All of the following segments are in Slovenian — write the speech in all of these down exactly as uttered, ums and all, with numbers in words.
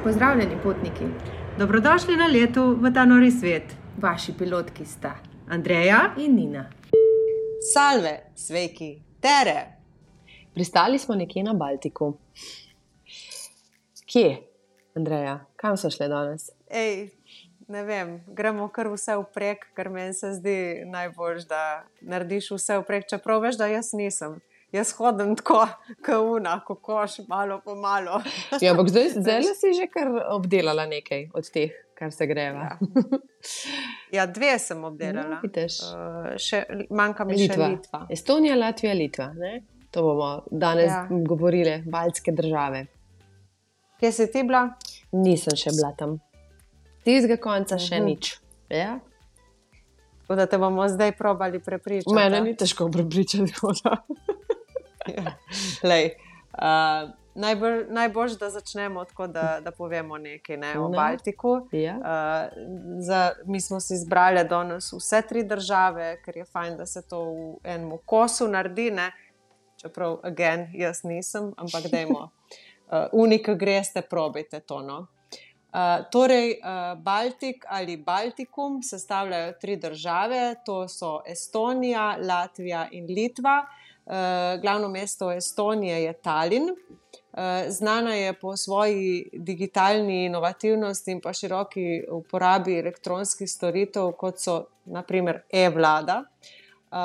Pozdravljeni, potniki. Dobrodošli na letu v ta nori svet. Vaši pilotki sta Andreja in Nina. Salve, sveiki, tere. Pristali smo nekje na Baltiku. Kje, Andreja? Kam so šle danes? Ej, ne vem, gremo kar vse vprek, ker meni se zdi najbolj, da narediš vse vprek, čeprav veš, da jaz nisem. Jaz hodim tako, kauna, kokoš, malo po malo. Ja, ampak zdaj, zdaj si že kar obdelala nekaj od teh, kar se greva. Ja, ja dve sem obdelala. No, uh, še, manjka mi Litva. še Litva. Estonija, Latvija, Litva. Ne? To bomo danes ja. govorili, baltske države. Kje si ti bila? Nisem še bila tam. Tistega konca uh-huh. še nič. Ja? Tako da te bomo zdaj probali prepričati. Mene ni težko prepričati. Ja. Lej, uh, najbolj, najbolj, da začnemo tako, da, da povemo nekaj ne, o no. Baltiku. Ja. Uh, za, mi smo si izbrali danes vse tri države, ker je fajn, da se to v enem kosu naredi. Ne? Čeprav, again, jaz nisem, ampak dajmo. Uh, Unika greste, probajte to. No? Uh, torej, uh, Baltik ali Baltikum sestavljajo tri države, to so Estonija, Latvija in Litva. Uh, glavno mesto Estonije je Tallinn. Uh, znana je po svoji digitalni inovativnosti in pa široki uporabi elektronskih storitev, kot so na primer e-vlada. Uh,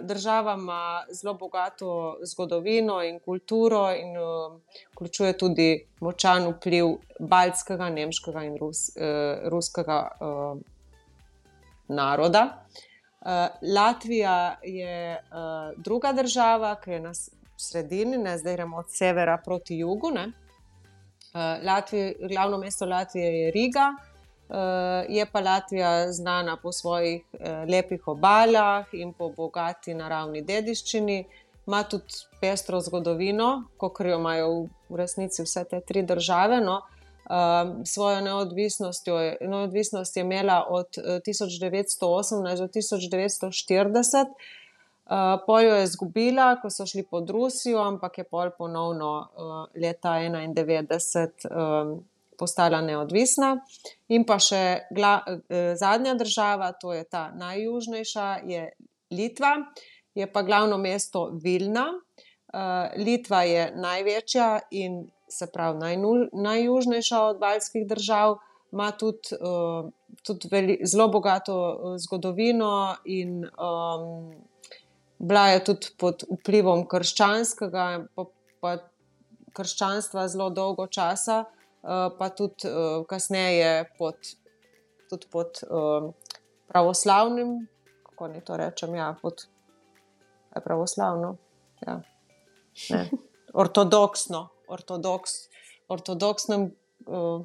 država ima zelo bogato zgodovino in kulturo in uh, vključuje tudi močan vpliv baltskega, nemškega in rus, uh, ruskega uh, naroda. Uh, Latvija je uh, druga država, ki je na sredini, ne, zdaj gremo od severa proti jugu. Ne. Uh, Latvija, glavno mesto Latvije je Riga, uh, je pa Latvija znana po svojih uh, lepih obalah in po bogati naravni dediščini. Ima tudi pestro zgodovino, kot jo imajo v resnici vse te tri države. No. Um, svojo neodvisnostjo, neodvisnost je imela od uh, tisoč devetsto osemnajst do tisoč devetsto štirideset. Uh, pol jo je izgubila, ko so šli pod Rusijo, ampak je pol ponovno uh, leta enaindevetdeset um, postala neodvisna. In pa še gla, uh, zadnja država, to je ta najjužnejša, je Litva. Je pa glavno mesto Vilna. Uh, Litva je največja in se pravi najnu, najjužnejša od baltskih držav, ima tudi, uh, tudi veli, zelo bogato zgodovino in um, bila je tudi pod vplivom krščanskega, pa, pa krščanstva zelo dolgo časa, uh, pa tudi uh, kasneje pod, tudi pod uh, pravoslavnim, kako ne to rečem, ja, pod je pravoslavno, ja, ne, ortodoksno. Ortodoks, ortodoksnem uh,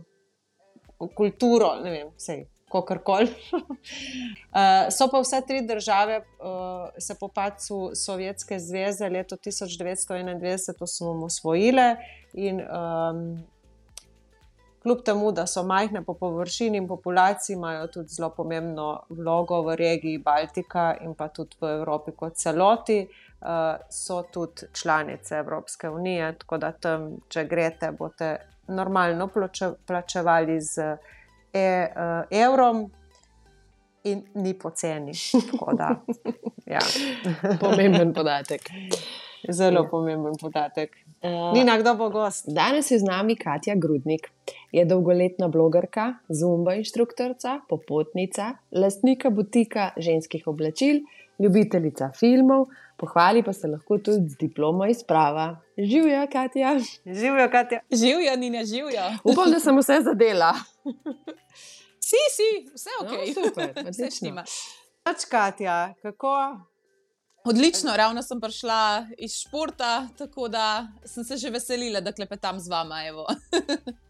kulturo, ne vem, sej, kakorkoli. uh, so pa vse tri države uh, se po padcu Sovjetske zveze leto tisoč devetsto enaindevetdeset osvojile in um, kljub temu, da so majhne po površini in populaciji, imajo tudi zelo pomembno vlogo v regiji Baltika in pa tudi v Evropi kot celoti. Uh, so tudi članice Evropske unije, tako da tam, če greste, boste normalno plače, plačevali z e, uh, evrom in ni poceni. Tako da, ja. Pomemben podatek. Zelo ja. pomemben podatek. Uh, Nina, kdo bo gost? Danes je z nami Katja Grudnik. Je dolgoletna blogerka, zumba inštruktorica, popotnica, lastnika butika ženskih oblačil, ljubiteljica filmov, pohvali pa se lahko tudi z diplomo iz prava. Živjo, Katja. Živjo, Katja. Živjo, Nina, živjo. Upam, da sem vse zadela. Si, si, vse ok. No, super, odlično. Pač, Katja, kako? Odlično, ravno sem prišla iz športa, tako da sem se že veselila, da klepetam z vama, evo.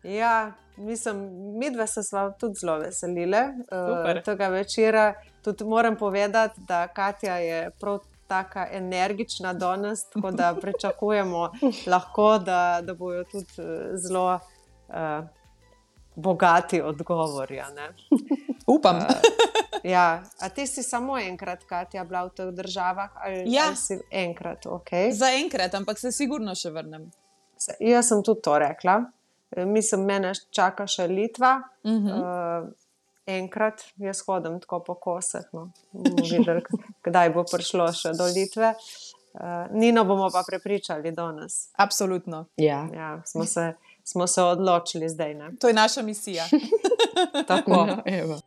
Ja, mislim, midve se sva tudi zelo veselile uh, tega večera. Tudi moram povedati, da Katja je prav taka energična danes, tako da pričakujemo lahko, da, da bojo tudi zelo uh, bogati odgovori. Ne? Upam. Uh, ja, a ti si samo enkrat, Katja, bila v teh državah? Ali, ja. ali si enkrat, ok. Za enkrat, ampak se sigurno še vrnem. Jaz sem tudi to rekla. mislim, mene čaka še Litva. Uh -huh. uh, enkrat jaz hodim tako po koseh. No. Bomo videli, kdaj bo prišlo še do Litve. Uh, Nino bomo pa prepričali danes. Absolutno. Ja. Ja, smo, se, smo se odločili zdaj. Ne? To je naša misija. Tako. No, evo.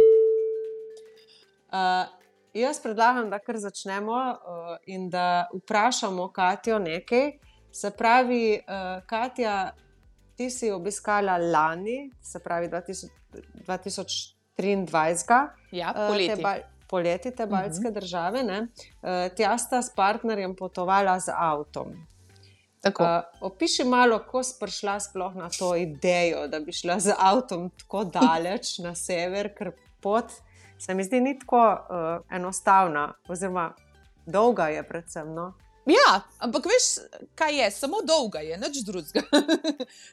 Uh, jaz predlagam, da kar začnemo uh, in da vprašamo Katjo nekaj. Se pravi, uh, Katja, ti si obiskala lani, se pravi dva tisoč triindvajset, Ja, uh, poleti. te, ba poleti te baltske uh -huh. države. Ne? Uh, tja sta s partnerjem potovala z avtom. Tako. Uh, opiši malo, ko si prišla sploh na to idejo, da bi šla z avtom tako daleč na sever, ker pot se mi zdi ni tako uh, enostavna, oziroma dolga je predvsem. No? Ja, ampak veš, kaj je, samo dolga je, nič drugega.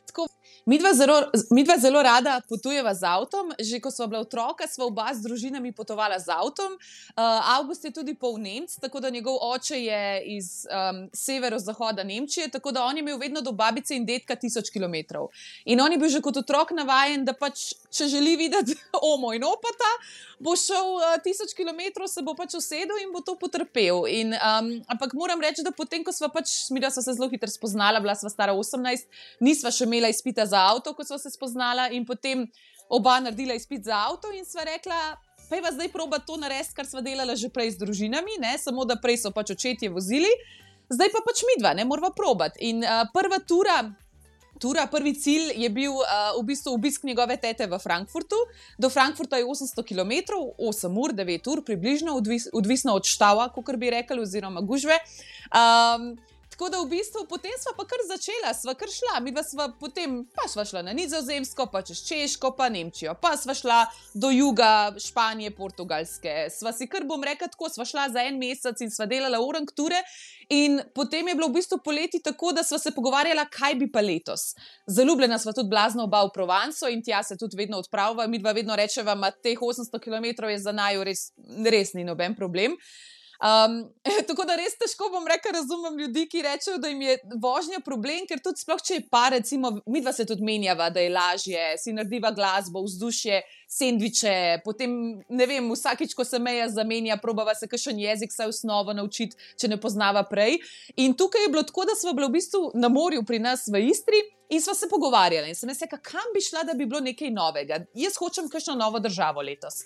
Tako, midva zelo, midva zelo rada potujeva z avtom, že ko sva bila otroka, sva oba z družinami potovala z avtom. Uh, Avgust je tudi pol Nemc, tako da njegov oče je iz um, severozahoda Nemčije, tako da on je imel vedno do babice in dedka tisoč kilometrov. In on je bil že kot otrok navajen, da pač, če želi videti omo in opata, bo šel uh, tisoč kilometrov, se bo pač usedel in bo to potrpel. In, um, ampak moram reči, da potem, ko sva pač, mi da sva se zelo hitro spoznala, bila sva stara osemnajst, nisva še imela izpita za avto, ko sva se spoznala, in potem oba naredila izpit za avto in sva rekla, pa je zdaj proba to narediti, kar sva delala že prej z družinami, ne? Samo da prej so pač očetje vozili, zdaj pa pač midva, ne morava probati. In uh, prva tura. Tura, prvi cilj je bil uh, v bistvu obisk njegove tete v Frankfurtu. Do Frankfurta je osemsto kilometrov, osem ur, devet ur, približno, odvis, odvisno od štava, kot bi rekli, oziroma gužve. Um, tako da v bistvu potem sva pa kar začela, sva kar šla. Mi sva potem pa sva šla na Nizozemsko, pa čez Češko, pa Nemčijo, pa sva šla do juga Španije, Portugalske. Sva si kar bom rekla tako, sva šla za en mesec in sva delala orang ture. In potem je bilo v bistvu poleti tako, da sva se pogovarjala, kaj bi pa letos. Zaljubljena sva tudi blazno oba v Provanco in tja se tudi vedno odpravlja. Mi dva vedno rečeva, da teh osemsto kilometrov je za naju res, res ni noben problem. Um, tako da res težko bom rekla, razumem ljudi, ki rečejo, da jim je vožnja problem, ker tudi sploh, če je pa, recimo, mi dva se tudi menjava, da je lažje, si narediva glasbo, vzdušje, sendviče, potem, ne vem, vsakič, ko se meja zamenja, probava se kakšen jezik, saj osnovo naučiti, če ne poznava prej. In tukaj je bilo tako, da sva bila v bistvu na morju pri nas v Istri in sva se pogovarjala. In sem jaz rekla, kam bi šla, da bi bilo nekaj novega. Jaz hočem kakšno novo državo letos.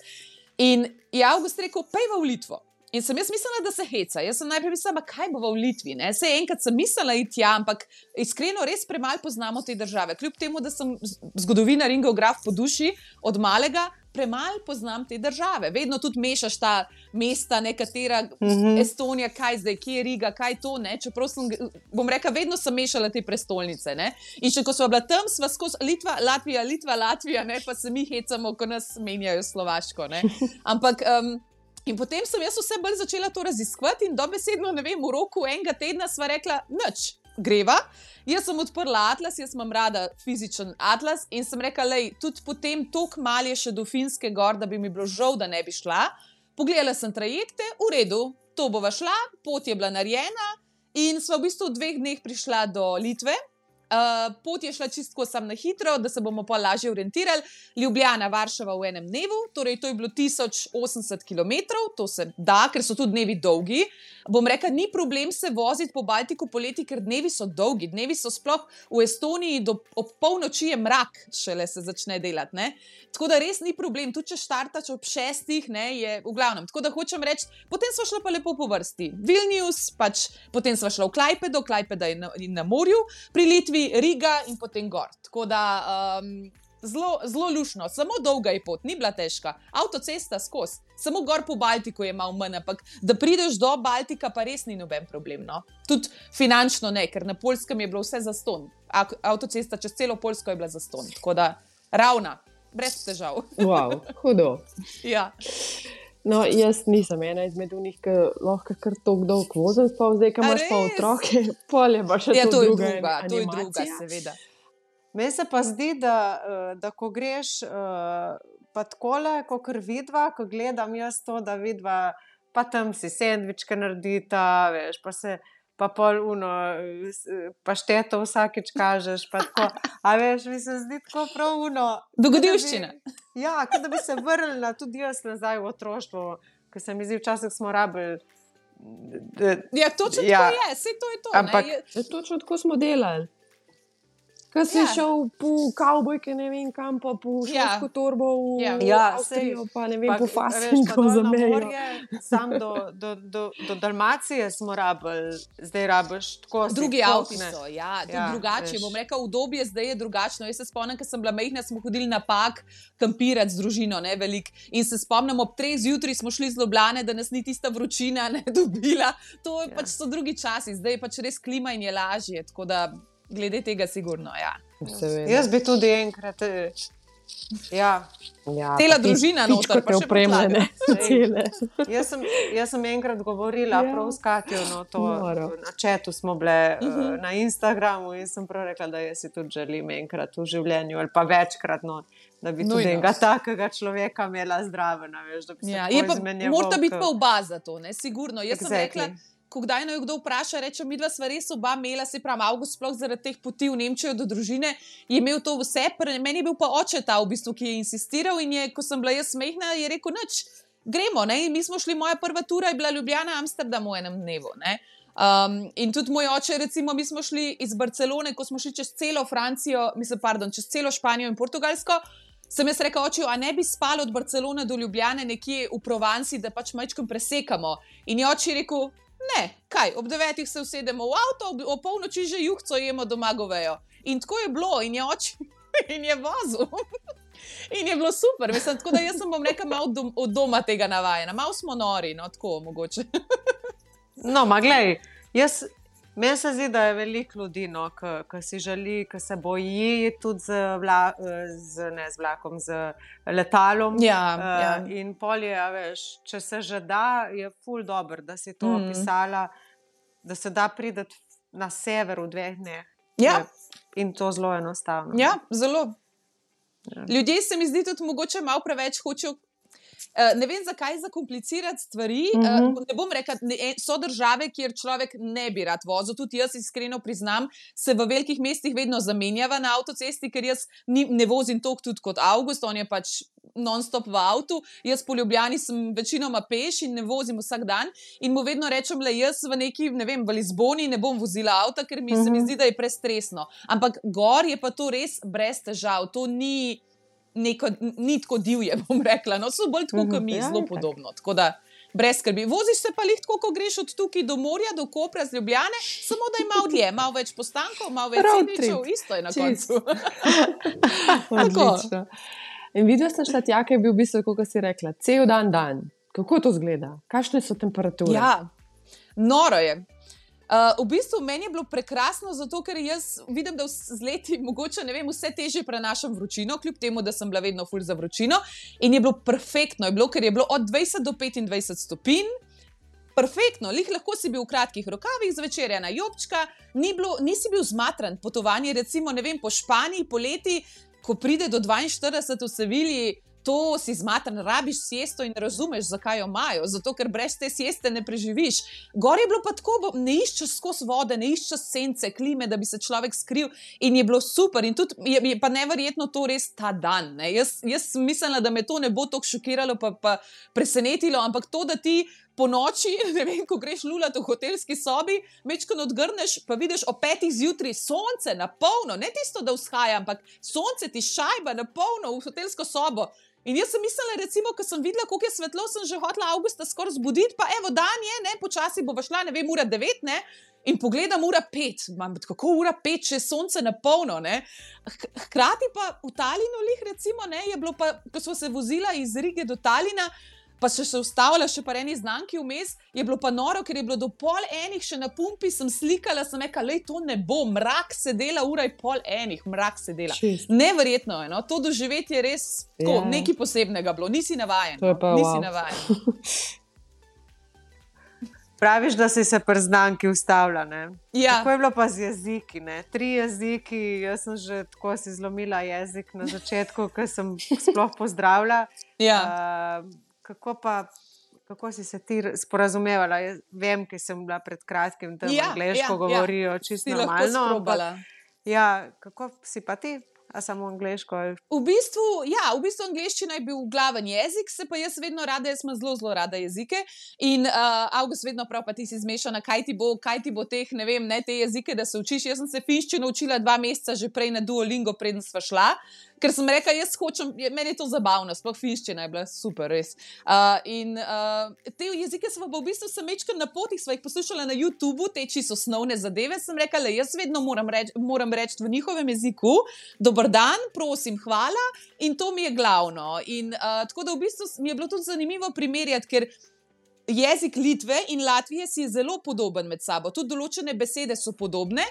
In je Avgust rekel, pejva v Litvo. In sem jaz mislila, da se heca. Jaz sem najprej mislila, kaj bo v Litvi. Ne? Sej enkrat sem mislila iti tja, ampak iskreno res premalo poznamo te države. Kljub temu, da sem zgodovinar in geograf po duši od malega, premalo poznam te države. Vedno tudi mešaš ta mesta, nekatera mm-hmm. Estonija, kaj zdaj, kje je Riga, kaj to, ne? Čeprav sem, bom rekla, vedno sem mešala te prestolnice. Ne? In še ko sva bila tam, sva skozi Litva, Latvija, Litva, Latvija, ne? Pa se mi hecamo, ko nas menjajo Slovaško. Ne? Ampak... Um, In potem sem jaz vse bolj začela to raziskovati in dobesedno, ne vem, v roku enega tedna sva rekla, nič, greva. Jaz sem odprla atlas, jaz imam rada fizičen atlas in sem rekla, lej, tudi potem toliko mal je še do Finske gor, da bi mi bilo žal, da ne bi šla. Pogledala sem trajekte, v redu, to bova šla, pot je bila narejena in sva v bistvu v dveh dneh prišla do Litve. Uh, pot je šla čistko sam na hitro, da se bomo pa lažje orientirali. Ljubljana, Varšava v enem dnevu, torej to je bilo tisoč osemdeset kilometrov, to se da, ker so tudi dnevi dolgi. Bom rekla, ni problem se voziti po Baltiku poleti, ker dnevi so dolgi. Dnevi so sploh v Estoniji, do, ob polnoči je mrak, šele se začne delati. Ne? Tako da res ni problem, tudi če štartaš ob šestih, ne, je v glavnem. Tako da hočem reči, potem sva šla pa lepo po vrsti. Vilnius, pač potem sva šla v Klajpedo, Klajpeda je na, na morju, pri Litvi Riga in potem gor. Tako da um, zelo, zelo lušno, samo dolga je pot, ni bila težka. Avtocesta skozi, samo gor po Baltiku je malo manj, ampak da prideš do Baltika pa res ni noben problem. No? Tudi finančno ne, ker na Poljskem je bilo vse zastonj. Avtocesta čez celo Poljsko je bila zastonj. Tako da ravna, brez težav. Wow, hudo. Ja. No, jaz nisem ena izmed unih, ki lahko kar tako dolgo vozim, pa zdaj, ko imaš pa otroke, polje pa še ja, to, to je druga druga, to je animacija. druga, seveda. Meni se pa zdi, da, da ko greš pa takole, ko kar vidva, ko gledam jaz to, da vidva, pa tam si sendvičke naredita, veš, pa se, pa pol uno, pašteto vsakeč kažeš, pa tako, a veš, mi se zdi tako prav uno. Dogodivščina. Ja, kot da bi se vrnila tudi jaz nazaj v otroštvo, ker se mi zdi, včasih smo rabili. Ja, točno Ja. tako je, saj to je to. Ampak- ne, je- Ja, točno tako smo delali. Ko si Ja. šel po kavbojke, ne vem kam, pa po Ja. šolsko torbo v Ja. Ja, Avstrijo, pa ne vem, Pa, po veš, Fasingu pa dol za na mejo. morje, Sam do, do, do, do Dalmacije smo rabili, zdaj rabiš tako. si Drugi tako, avti ne. so, ja, tudi Ja, drugače. veš. Bom rekel, obdobje zdaj je drugačno. Jaz se spomnim, ko sem bila majhna, smo hodili na pak kampirati z družino, ne velik. In se spomnim, ob treh zjutraj smo šli z Ljubljane, da nas ni tista vročina ne dobila. To Ja. ja. pač so drugi časi, zdaj je pač res klima in je lažje. Tako da glede tega sigurno, ja. Seveda. Jaz bi tudi enkrat. eh, Ja, Ja, Cela pa družina pič- noter, pa pičko še te opremljene. Cele. jaz sem, jaz sem enkrat govorila Ja. ja. prav s Katjo, no, to, Noro. na četu smo bile uh Mhm. -huh. na Instagramu in sem prav rekla, da jaz si tudi želim enkrat v življenju ali pa večkrat, no, da bi tudi Nujno. enega takega človeka imela zdraven, veš, da bi se Ja, tako je pa, izmenjeval, morata biti ke- pa oba za to, ne, sigurno. Jaz exactly. sem Exactly. rekla, ko kdaj naj kdo vpraša, reče, mi dva sva res oba imela, se pravi, Avgust, sploh zaradi teh poti v Nemčijo do družine, je imel to vse, pre, meni je bil pa oče ta, v bistvu, ki je insistiral in je, ko sem bila jaz smehna, je rekel, nič, gremo, ne, in mi smo šli, moja prva tura je bila Ljubljana, Amsterdam v enem dnevu, ne. Um, in tudi moj oče, recimo, mi smo šli iz Barcelone, ko smo šli čez celo Francijo, mislim, pardon, čez celo Španijo in Portugalsko. Sem jaz rekel, oče, a ne bi spal od Barcelone do Ljubljane nekje v Provanci, da pač majčkam presekamo. In je oče rekel, ne, kaj, ob devetih se usedemo v avto, ob, ob polnoči že juhco jemo doma govejo. In tako je bilo, in je oče in je vozil. In je bilo super, mislim, tako da jaz sem bom rekel malo dom, od doma tega navajena, malo smo nori, no tako mogoče. No, ma glej, jaz, meni se zdi, da je veliko ljudi, no, ki si želi, ki se boji tudi z, vla, z, ne, z vlakom, z letalom. Ja, Uh, ja. In polje, a veš, če se že da, je ful dobro, da si to Mm. opisala, da se da priti na sever v dveh dneh. Ja. Je- In to zelo enostavno. Ja, zelo. Ja. Ljudje se mi zdi tudi mogoče malo preveč hočejo. Uh, ne vem, zakaj zakomplicirati stvari. Uh, Mhm. ne bom rekla, ne, en- so države, kjer človek ne bi rad vozil. Tudi jaz, iskreno priznam, se v velikih mestih vedno zamenjava na avtocesti, ker jaz ni, ne vozim toliko tudi kot Avgust, on je pač non-stop v avtu. Jaz po Ljubljani sem večinoma peš in ne vozim vsak dan. In mu vedno rečem, da jaz v neki, ne vem, v Lizboni ne bom vozila avta, ker mi, uh -huh. se mi zdi, da je prestresno. Ampak gor je pa to res brez težav. To ni. Neko, ni tako divje, bom rekla. No, so bolj tako, kot mi, Ja, zelo itak. podobno. Tako da, brez skrbi. Voziš se pa lih tako, ko greš od tukaj do morja, do Kopra z Ljubljane, samo da je malo dlje, malo več postankov, malo več Road sendvičev, trip. isto je na Čisto. koncu. Odlično. In videla sem šla tja, ki je bil v bistvu, kot si rekla, cel dan dan. Kako to zgleda? Kakšne so temperature? Ja, noro je. Uh, v bistvu meni je bilo prekrasno, zato ker jaz vidim, da vs- z leti mogoče ne vem, vse težje prenašam vročino, kljub temu, da sem bila vedno ful za vročino. In je bilo perfektno, je bilo, ker je bilo od dvajset do petindvajset stopinj. Perfektno, lih lahko si bil v kratkih rokavih, zvečer ena jobčka, ni bilo, nisi bil zmatran. Potovanje, recimo, ne vem, po Španiji poleti, ko pride do dvainštirideset v Sevilji, to si zmatran, rabiš siesto in razumeš, zakaj jo imajo. Zato, ker brez te sieste ne preživiš. Gor je bilo pa tako, bo- ne iščeš skozi vode, ne iščeš sence, klime, da bi se človek skril. In je bilo super. In tudi je, je pa neverjetno to res ta dan. Ne? Jaz, jaz sem mislila, da me to ne bo tako šokiralo, pa, pa presenetilo, ampak to, da ti po noči, ne vem, ko greš lulat v hotelski sobi, mečkano odgrneš, pa vidiš o petih zjutraj sonce na polno, ne tisto, da vzhaja, ampak sonce ti šajba na polno v hotelsko sobo. In jaz sem mislila, recimo, ko sem videla, koliko je svetlo, sem že hotela avgusta skoraj zbuditi, pa evo, dan je, ne, počasi bo šla, ne vem, ura devet, ne, in pogledam ura pet, Mam, kako ura pet, če je sonce na polno, ne. H- Hkrati pa v Talinu, lih, recimo, ne, je bilo pa, ko smo se vozila iz Rige do Talina, pa še se ustavila še pa eni znamki vmes, je bilo pa noro, ker je bilo do pol enih še na pumpi, sem slikala, sem rekla, lej, to ne bo, mrak se dela, ura je pol enih, mrak se dela. Čisto. Neverjetno je, no? To doživetje je res tako, Ja. nekaj posebnega bilo, nisi navajen. To je pa no? Nisi wow. navajen. Praviš, da si se pri znamki ustavila. Ne? Ja. Kako je bilo pa z jeziki? Ne? Tri jeziki, jaz sem že tako si zlomila jezik na začetku, ko sem sploh pozdravila. Ja. Uh, kako pa, kako si se ti sporazumevala? Jaz vem, ker sem bila pred kratkim tam Ja, angleško, ja, govorijo ja. čisto Si lahko normalno. ampak- sprobala. Ja, kako si pa ti? A samo angleško? ali- V bistvu, ja, v bistvu angleščina je bil glaven jezik, se pa jaz vedno rada, jaz imam zelo, zelo rada jezike. In uh, Avgust vedno prav, pa ti si zmešana, kaj ti bo, kaj ti bo teh, ne vem, ne te jezike, da se učiš. Jaz sem se finščino učila dva meseca že prej na Duolingo, preden sva šla. Ker sem rekla, jaz hočem, meni je to zabavno, sploh finščina je bila super, res. Uh, in uh, te jezike smo pa v bistvu samečkar na potih, sva jih poslušala na YouTubu, te čisto osnovne zadeve, sem rekla, le jaz vedno moram reči moram reč v njihovem jeziku, dober dan, prosim, hvala, in to mi je glavno. In uh, tako da v bistvu mi je bilo tudi zanimivo primerjati, ker jezik Litve in Latvije si je zelo podoben med sabo, tudi določene besede so podobne,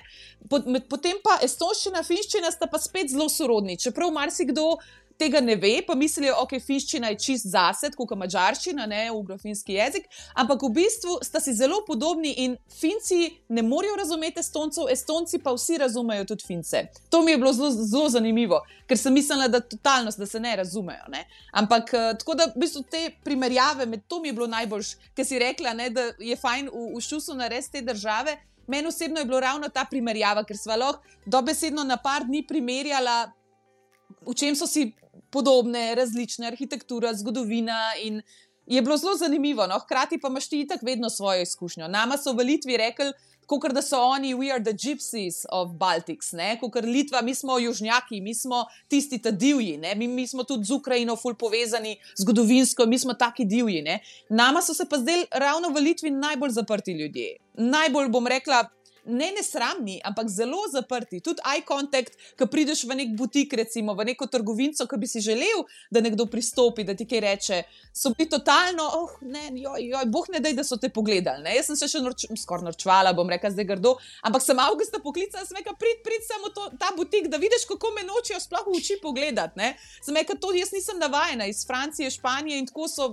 potem pa estonščina, finščina sta pa spet zelo sorodni, čeprav marsikdo tega ne ve, pa mislijo, ok, finščina je čist zase, kot madžarščina, ne, ugro-finski jezik, ampak v bistvu sta si zelo podobni in Finci ne morejo razumeti Estoncev, Estonci pa vsi razumejo tudi Fince. To mi je bilo zelo, zelo zanimivo, ker sem mislila, da totalnost, da se ne razumejo, ne. Ampak tako da v bistvu te primerjave, med to mi je bilo najboljš, ker si rekla, ne, da je fajn v, v šusu narediti te države. Meni osebno je bilo ravno ta primerjava, ker sva lahko dobesedno na par dni primerjala, v čem so si podobne, različne, arhitektura, zgodovina, in je bilo zelo zanimivo. No? Hkrati pa imaš ti itak vedno svojo izkušnjo. Nama so v Litvi rekli, kakor da so oni, we are the gypsies of Baltics, kakor Litva, mi smo južnjaki, mi smo tisti ta divji, ne? Mi, mi smo tudi z Ukrajino ful povezani, zgodovinsko, mi smo taki divji. Ne? Nama so se pa zdaj ravno v Litvi najbolj zaprti ljudje. Najbolj, bom rekla, ne nesramni, ampak zelo zaprti. Tudi eye contact, ko prideš v nek butik, recimo, v neko trgovinco, ko bi si želel, da nekdo pristopi, da ti kaj reče, so bili totalno, oh, ne, joj, joj, boh ne daj, da so te pogledali. Ne? Jaz sem se še norč, skoraj norčvala, bom rekla zdaj grdo, ampak sem Avgusta poklicala, sem rekla, prid, prid samo to, ta butik, da vidiš, kako me nočijo sploh v oči pogledati. Ne? Sem rekla, to jaz nisem navajena iz Francije, Španije in tako so,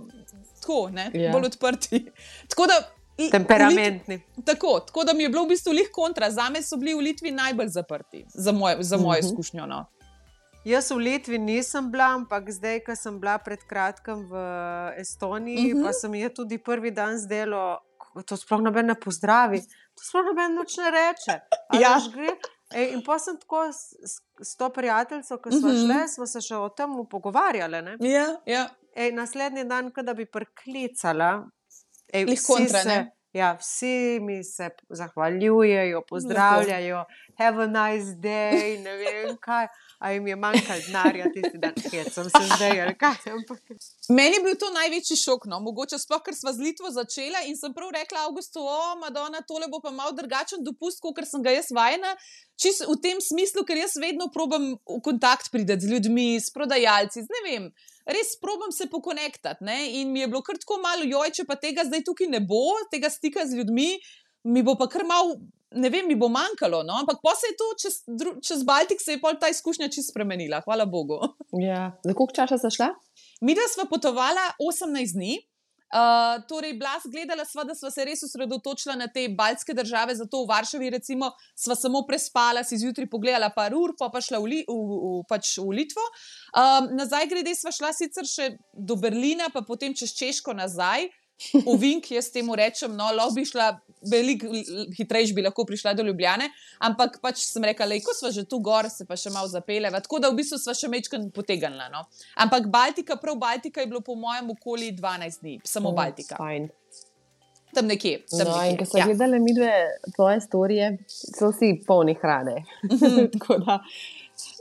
tako, ne, yeah. bolj odprti. Tako da Temperamentni. Tako, tako da mi je bilo v bistvu lih kontra. Zame so bili v Litvi najbolj zaprti, za, moj, za mojo uh-huh. izkušnjo. No. Jaz v Litvi nisem bila, ampak zdaj, ko sem bila pred kratkim v Estoniji, uh-huh. pa se mi je tudi prvi dan zdelo, to sploh noben ne pozdravi, to sploh noben nič ne reče. Ja. Ej, in pa sem tako s, s to prijateljico, ko smo uh-huh. šle, smo se še o tem pogovarjali. Ne? Ja, ja. Ej, naslednji dan, ko da bi priklicala, Ej, vsi, kontra, se, ja, vsi mi se zahvaljujejo, pozdravljajo, have a nice day, ne vem kaj, a jim je manjkalo denarja tisti dan, kjer sem se zdaj, ali kaj. Meni je bil to največji šok, no, mogoče sploh, ker sva z Litvo začela in sem prav rekla Avgustu, o, Madonna, tole bo pa malo drugačen dopust, kot sem ga jaz vajena, čisto v tem smislu, ker jaz vedno probam v kontakt priti z ljudmi, s prodajalci, z ne vem, res probam se pokonektati, ne, in mi je bilo kar tako malo, joj, če pa tega zdaj tukaj ne bo, tega stika z ljudmi, mi bo pa kar malo, ne vem, mi bo manjkalo, no, ampak pa se je to, čez, čez Baltik se je pol ta izkušnja čisto spremenila, hvala Bogu. Ja, za koliko časa sta šla? Midva sva potovala osemnajst dni, uh, torej Blas gledala sva, da sva se res osredotočila na te baltske države, zato v Varšavi recimo sva samo prespala, si zjutraj pogledala par ur, pa pa šla v, Li, v, v, pač v Litvo. Um, nazaj grede sva šla sicer še do Berlina, pa potem čez Češko nazaj, v Vink, jaz temu rečem, no, lahko bi šla, veliko hitrejš bi lahko prišla do Ljubljane, ampak pač sem rekla, lej, ko sva že tu gor, se pa še malo zapeljeva, tako da v bistvu sva še mečkaj potegnila, no. Ampak Baltika, prav Baltika je bilo po mojem okoli dvanajst dni, samo oh, Baltika. Fajn. Tam nekje. Tam no, nekje. In ko so ja. gledali midve tvoje storije, so vsi polni hrane. Tako da...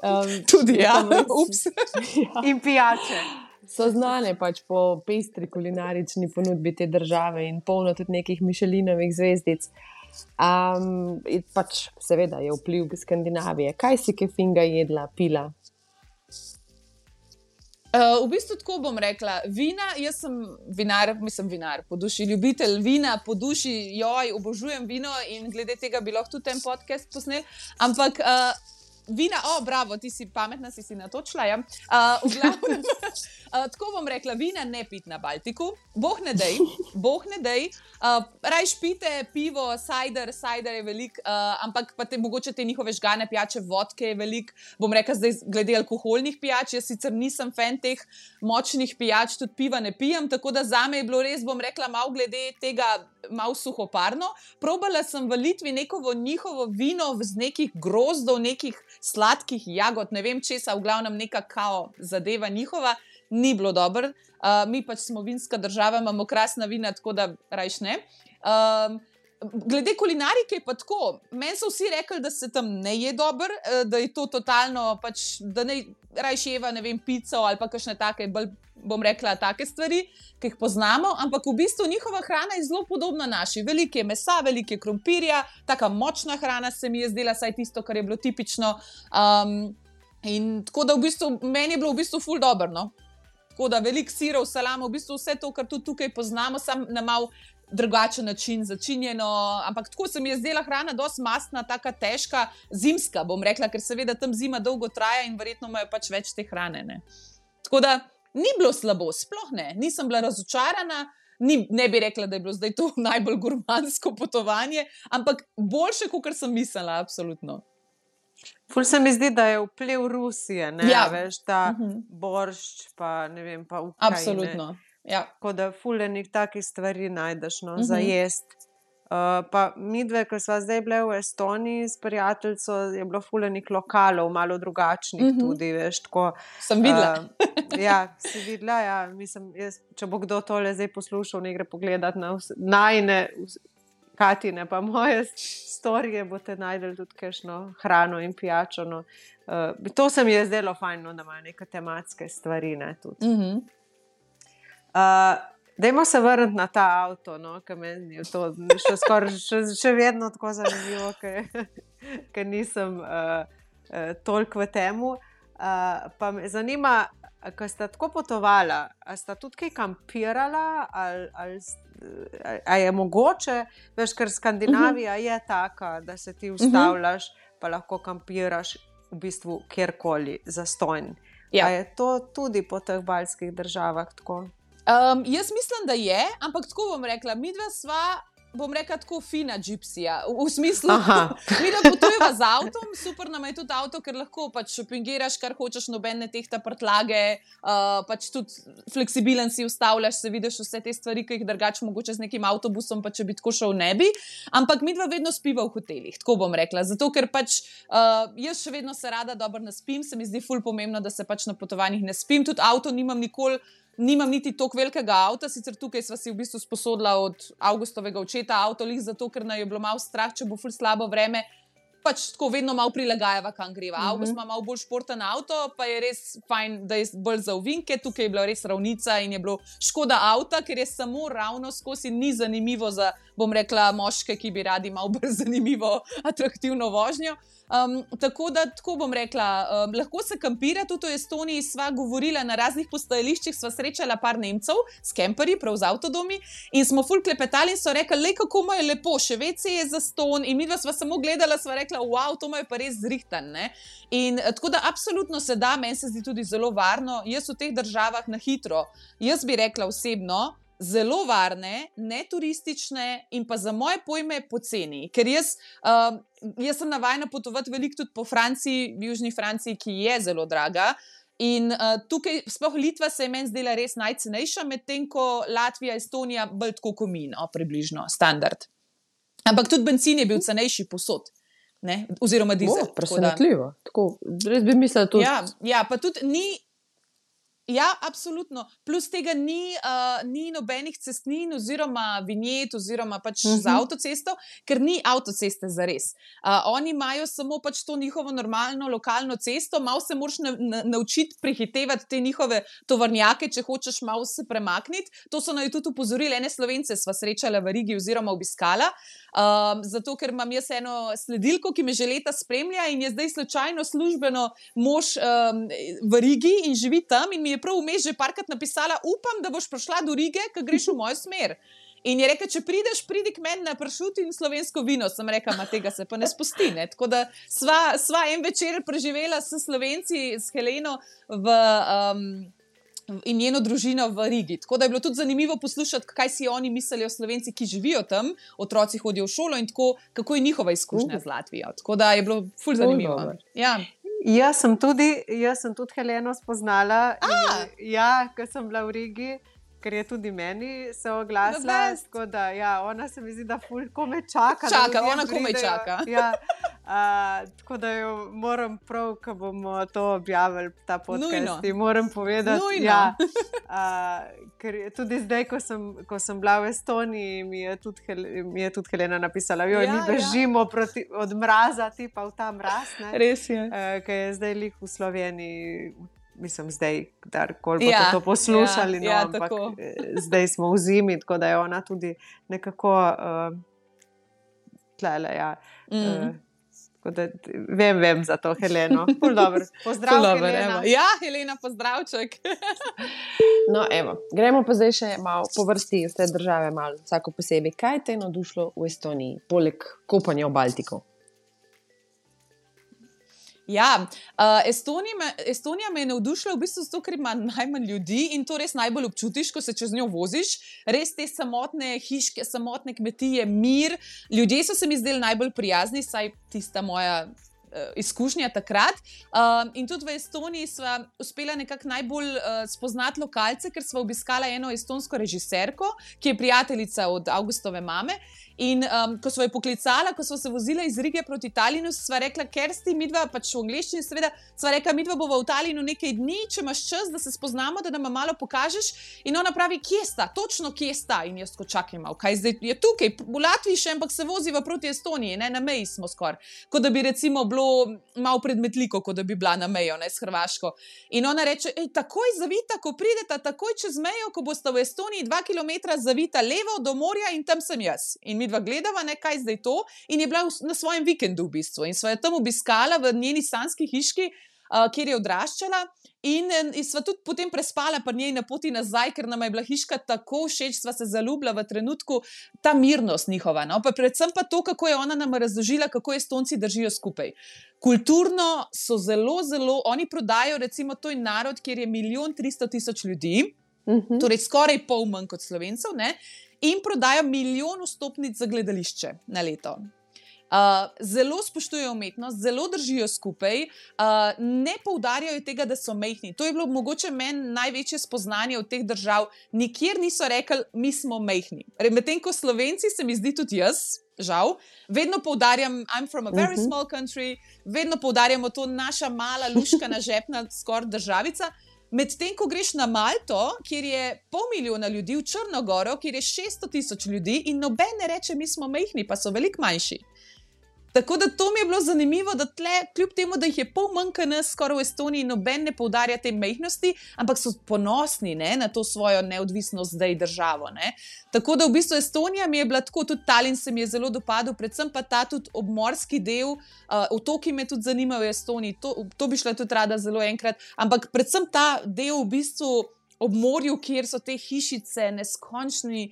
Um, tudi ja, ups. ja. In pijače. So znane pač po pestri kulinarični ponudbi te države in polno tudi nekih Michelinovih zvezdic. Um, pač seveda je vpliv Skandinavije. Kaj si kaj finga jedla, pila? Uh, v bistvu tako bom rekla, vina, jaz sem vinar, mislim vinar, po duši ljubitelj vina, po duši, joj, obožujem vino in glede tega bi lahko tudi ten podcast posnel, ampak uh, vina, o, oh, bravo, ti si pametna, si si natočila. Ja. Uh, v glavnem, uh, tako bom rekla, vina ne pit na Baltiku, boh ne dej, boh ne dej. Uh, rajš pite pivo, cider, cider je velik, uh, ampak pa te, mogoče te njihove žgane pijače, vodke je velik. Bom rekla zdaj glede alkoholnih pijač, jaz sicer nisem fan teh močnih pijač, tudi piva ne pijem, tako da zame je bilo res, bom rekla, malo glede tega, malo suhoparno. Probala sem v Litvi neko njihovo vino z nekih grozdov, nekih sladkih jagod, ne vem česa, v glavnem neka kao zadeva njihova, ni bilo dobro. Uh, mi pač smo vinska država, imamo krasna vina, tako da rajš ne. Um, glede kulinarike pa tako, meni so vsi rekli, da se tam ne je dobro, da je to totalno, pač, da ne rajš jeva, ne vem, pico ali pa kakšne take, bolj bom rekla, take stvari, ki jih poznamo, ampak v bistvu njihova hrana je zelo podobna naši. Veliko je mesa, veliko je krompirja, taka močna hrana se mi je zdela, saj tisto, kar je bilo tipično. Um, in tako da v bistvu, meni je bilo v bistvu ful dobro, no. Tako da veliko sirov, salamo, v bistvu vse to, kar tudi tukaj poznamo, sam na mal drugačen način začinjeno, ampak tako se mi je zdela hrana dosti mastna, taka težka, zimska, bom rekla, ker seveda tam zima dolgo traja in verjetno imajo pač več te hrane, ne. Tako da ni bilo slabo, sploh ne, nisem bila razočarana, ni, ne bi rekla, da je bilo zdaj to najbolj gurmansko potovanje, ampak boljše, kot sem mislila, absolutno. Ful se mi zdi, da je vpliv Rusije, ne, ja. Veš, ta uh-huh. boršč, pa ne vem, pa Ukrajine. Absolutno, ja. Tako da ful enih takih stvari najdeš, no, uh-huh. za jest. Uh, pa midve, ko sva zdaj bile v Estoniji s prijateljico, je bilo ful enih lokalov, malo drugačnih uh-huh. tudi, veš, tako. Sem videla. Uh, ja, si videla, ja, mislim, jaz, če bo kdo tole zdaj poslušal, ne gre pogledat na vse, najne, Katine, pa moje storije, boste najdeli tudi kakšno hrano in pijačo, no. Uh, to se mi je zdelo fajn, no, da ima neke tematske stvari, ne, tudi. Uh-huh. Uh, Dajmo se vrniti na ta avto, no, ker meni je to še, skor, še, še vedno tako zanimivo, ker nisem uh, uh, toliko v temu. Uh, pa me zanima, ko sta tako potovala, a sta tudi kaj kampirala, ali, ali, ali je mogoče, veš, ker Skandinavija uh-huh. je taka, da se ti ustavljaš, uh-huh. pa lahko kampiraš v bistvu kjerkoli zastonj. Ja. A je to tudi po teh baltskih državah tako? Um, jaz mislim, da je, ampak tako bom rekla, midva sva, bom rekla, tako fina džipsija, v, v smislu, midva potujeva z avtom, super nam je tudi avto, ker lahko pač šopingiraš, kar hočeš, nobene tehta prtlage, uh, pač tudi fleksibilen si ustavljaš, se vidiš vse te stvari, ki jih drugače mogoče z nekim avtobusom, pa če bi tako šel ne bi, ampak midva vedno spiva v hotelih, tako bom rekla, zato ker pač uh, jaz še vedno se rada dobro naspim, se mi zdi ful pomembno, da se pač na potovanjih ne spim, tudi avto nimam nikoli, nimam niti toliko velikega avta, sicer tukaj sva si v bistvu sposodila od Avgustovega očeta avto, lih zato, ker naj je bilo malo strah, če bo ful slabo vreme, pač tako vedno malo prilagajava, kam greva. Uh-huh. Avgust ima malo bolj športen avto, pa je res fajn, da je bolj za ovinke, tukaj je bila res ravnica in je bilo škoda avta, ker je samo ravno skozi, ni zanimivo za, bom rekla, moške, ki bi radi malo bolj zanimivo, atraktivno vožnjo. Um, tako da, tako bom rekla, um, lahko se kampira, tudi v Estoniji sva govorila na raznih postajališčih, sva srečala par Nemcev s kemperji, prav z avtodomi in smo ful klepetali in so rekli, lej, kako mu je lepo, še ve ce je za ston in midva sva samo gledala, sva rekla, wow, to mu je pa res zrihtan, ne. In tako da absolutno se da, meni se zdi tudi zelo varno, jaz v teh državah na hitro, jaz bi rekla osebno, zelo varne, neturistične in pa za moje pojme poceni, ker jaz, uh, jaz sem navajena potovati veliko tudi po Franciji, v južni Franciji, ki je zelo draga in uh, tukaj, sploh Litva se je meni zdela res najcenejša, medtem ko Latvija, Estonija bolj tako kot mi, no, približno, standard. Ampak tudi bencin je bil cenejši posod, ne, oziroma dizel. O, presenetljivo, tako, res bi mislila tudi. Ja, ja, pa tudi ni. Ja, absolutno. Plus tega ni, uh, ni nobenih cestnin oziroma vinjet oziroma pač uh-huh. za avtocesto, ker ni avtoceste zares. Uh, oni imajo samo pač to njihovo normalno lokalno cesto, malo se moraš na, na, naučiti prehitevati te njihove tovornjake, če hočeš malo se premakniti. To so naj tudi upozorili, ene Slovence sva srečala v Rigi oziroma obiskala, um, zato ker imam jaz eno sledilko, ki me že leta spremlja in je zdaj slučajno službeno mož um, v Rigi in živi tam in mi je prav vmes že parkrat napisala, upam, da boš prišla do Rige, ko greš v mojo smer. In je rekel, če prideš, pridi k meni na pršut in slovensko vino. Sem rekel, ma tega se pa ne spusti. Ne? Tako da sva, sva en večer preživela s Slovenci, s Heleno v, um, in njeno družino v Rigi. Tako da je bilo tudi zanimivo poslušati, kaj si oni mislijo o Slovenci, ki živijo tam, otroci hodijo v šolo in tako, kako je njihova izkušnja uh. z Latvijo. Tako da je bilo ful zanimivo. Uh, ja. Jaz sem tudi, jaz sem tudi Heleno spoznala, in, ja, ko sem bila v Rigi, ker je tudi meni se oglasila. Tako da, ja, ona se mi zdi, da ful kome čaka. Čaka, ona kome čaka. Ja, uh, tako da jo moram prav, ko bomo to objavili, ta podcast, ti moram povedati. Ja, uh, ker tudi zdaj, ko sem, ko sem bila v Estoniji, mi je tudi, mi je tudi Helena napisala, jo, ja, mi bežimo ja. proti, od mraza, tipa v ta mraz. Ne? Res je. Uh, ker je zdaj lih v Sloveniji. Mislim, zdaj, kdorkoli boste ja, to poslušali, ja, no, ja, ampak tako. Zdaj smo v zimi, tako da je ona tudi nekako uh, tlele. Ja. Mm. Uh, tako da vem, vem za to, Heleno. Pozdrav, dober, Helena. Evo. Ja, Helena, pozdravček. No, evo, gremo pa zdaj še malo po vrsti vse države, malo vsako posebej. Kaj te je navdušilo v Estoniji, poleg kopanja v Baltiku? Ja, uh, Estonija, Estonija me je navdušila v bistvu zato, ker ima najmanj ljudi in to res najbolj občutiš, ko se čez njo voziš. Res te samotne hiške, samotne kmetije, mir. Ljudje so se mi zdeli najbolj prijazni, saj tista moja uh, izkušnja takrat. Uh, in tudi v Estoniji sva uspela nekako najbolj uh, spoznati lokalce, ker sva obiskala eno estonsko režiserko, ki je prijateljica od Augustove mame. In um, ko smo jo poklicala, ko smo se vozila iz Rige proti Talinu, sva rekla, Kersti, midva, pač v angleščini seveda, sva rekla, midva bova v Talinu nekaj dni, če imaš čas, da se spoznamo, da nam malo pokažeš. In ona pravi, kje sta, točno kje sta. In jaz ko čakaj malo, kaj zdaj je tukaj, v Latviji še, ampak se voziva proti Estoniji, ne, na meji smo skoraj. Kot da bi recimo bilo malo predmetliko, kot da bi bila na mejo, ne, s Hrvaško. In ona reče, ej, takoj zavita, ko prideta, takoj čez mejo, ko boste v Estoniji dva kilometra zavita levo do morja in tam sem jaz. In midva gledava, ne, kaj zdaj to, in je bila na svojem vikendu v bistvu. In sva jo tam obiskala v njeni sanski hiški, uh, kjer je odraščala, in, in sva tudi potem prespala pri njej na poti nazaj, ker nam je bila hiška tako všeč, sva se zaljubila v trenutku, ta mirnost njihova. No? Pa predvsem pa to, kako je ona nam razložila, kako Estonci držijo skupaj. Kulturno so zelo, zelo, oni prodajo, recimo, to je narod, kjer je milijon tristo tisoč ljudi, uh-huh. torej skoraj pol manj kot Slovencev, ne? In prodajo milijon vstopnic za gledališče na leto. Uh, zelo spoštujejo umetnost, zelo držijo skupaj, uh, ne poudarjajo tega, da so majhni. To je bilo mogoče meni največje spoznanje od teh držav. Nikjer niso rekli, mi smo majhni. Medtem ko Slovenci, se mi zdi tudi jaz, žal, vedno poudarjam, I'm from a very uh-huh. small country, vedno poudarjamo to naša mala, luškana, žepna skoraj državica. Medtem, ko greš na Malto, kjer je pol milijona ljudi, v Črnogoro, kjer je šeststo tisoč ljudi in noben ne reče, mi smo majhni, pa so veliko manjši. Tako da to mi je bilo zanimivo, da tle, kljub temu, da jih je pol manj kot nas, skoraj v Estoniji, noben ne poudarja te majhnosti, ampak so ponosni, ne, na to svojo neodvisnost zdaj državo. Ne. Tako da v bistvu Estonija mi je bila tako, tudi Tallinn se mi je zelo dopadel, predvsem pa ta tudi obmorski del, uh, otoki me tudi zanimajo v Estoniji, to, to bi šla tudi rada zelo enkrat, ampak predvsem ta del v bistvu ob morju, kjer so te hišice neskončni,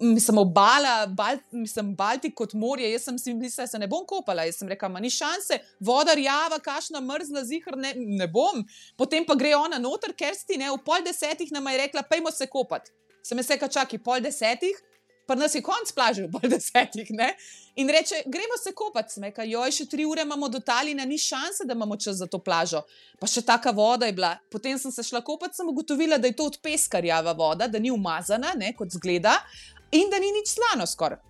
mislim, obala, Bal, mislim, Baltik kot morje, jaz sem si mislila, da se ne bom kopala, jaz sem rekla, ma ni šanse, voda rjava, kašna mrzla, zihar, ne, ne bom. Potem pa gre ona noter, Kersti, ne, v pol desetih nama je rekla, pejmo se kopati. Sem jaz rekla, čakaj, pol desetih, pa nas je konc plaže v pol desetih, ne. In reče, gremo se kopati. Sem rekla, joj, še tri ure imamo do Talina, ni šanse, da imamo čas za to plažo. Pa še taka voda je bila. Potem sem se šla kopati, sem ugotovila, da je to od peska rjava voda, da ni umazana, ne, kot zgleda, in da ni nič slano skoraj.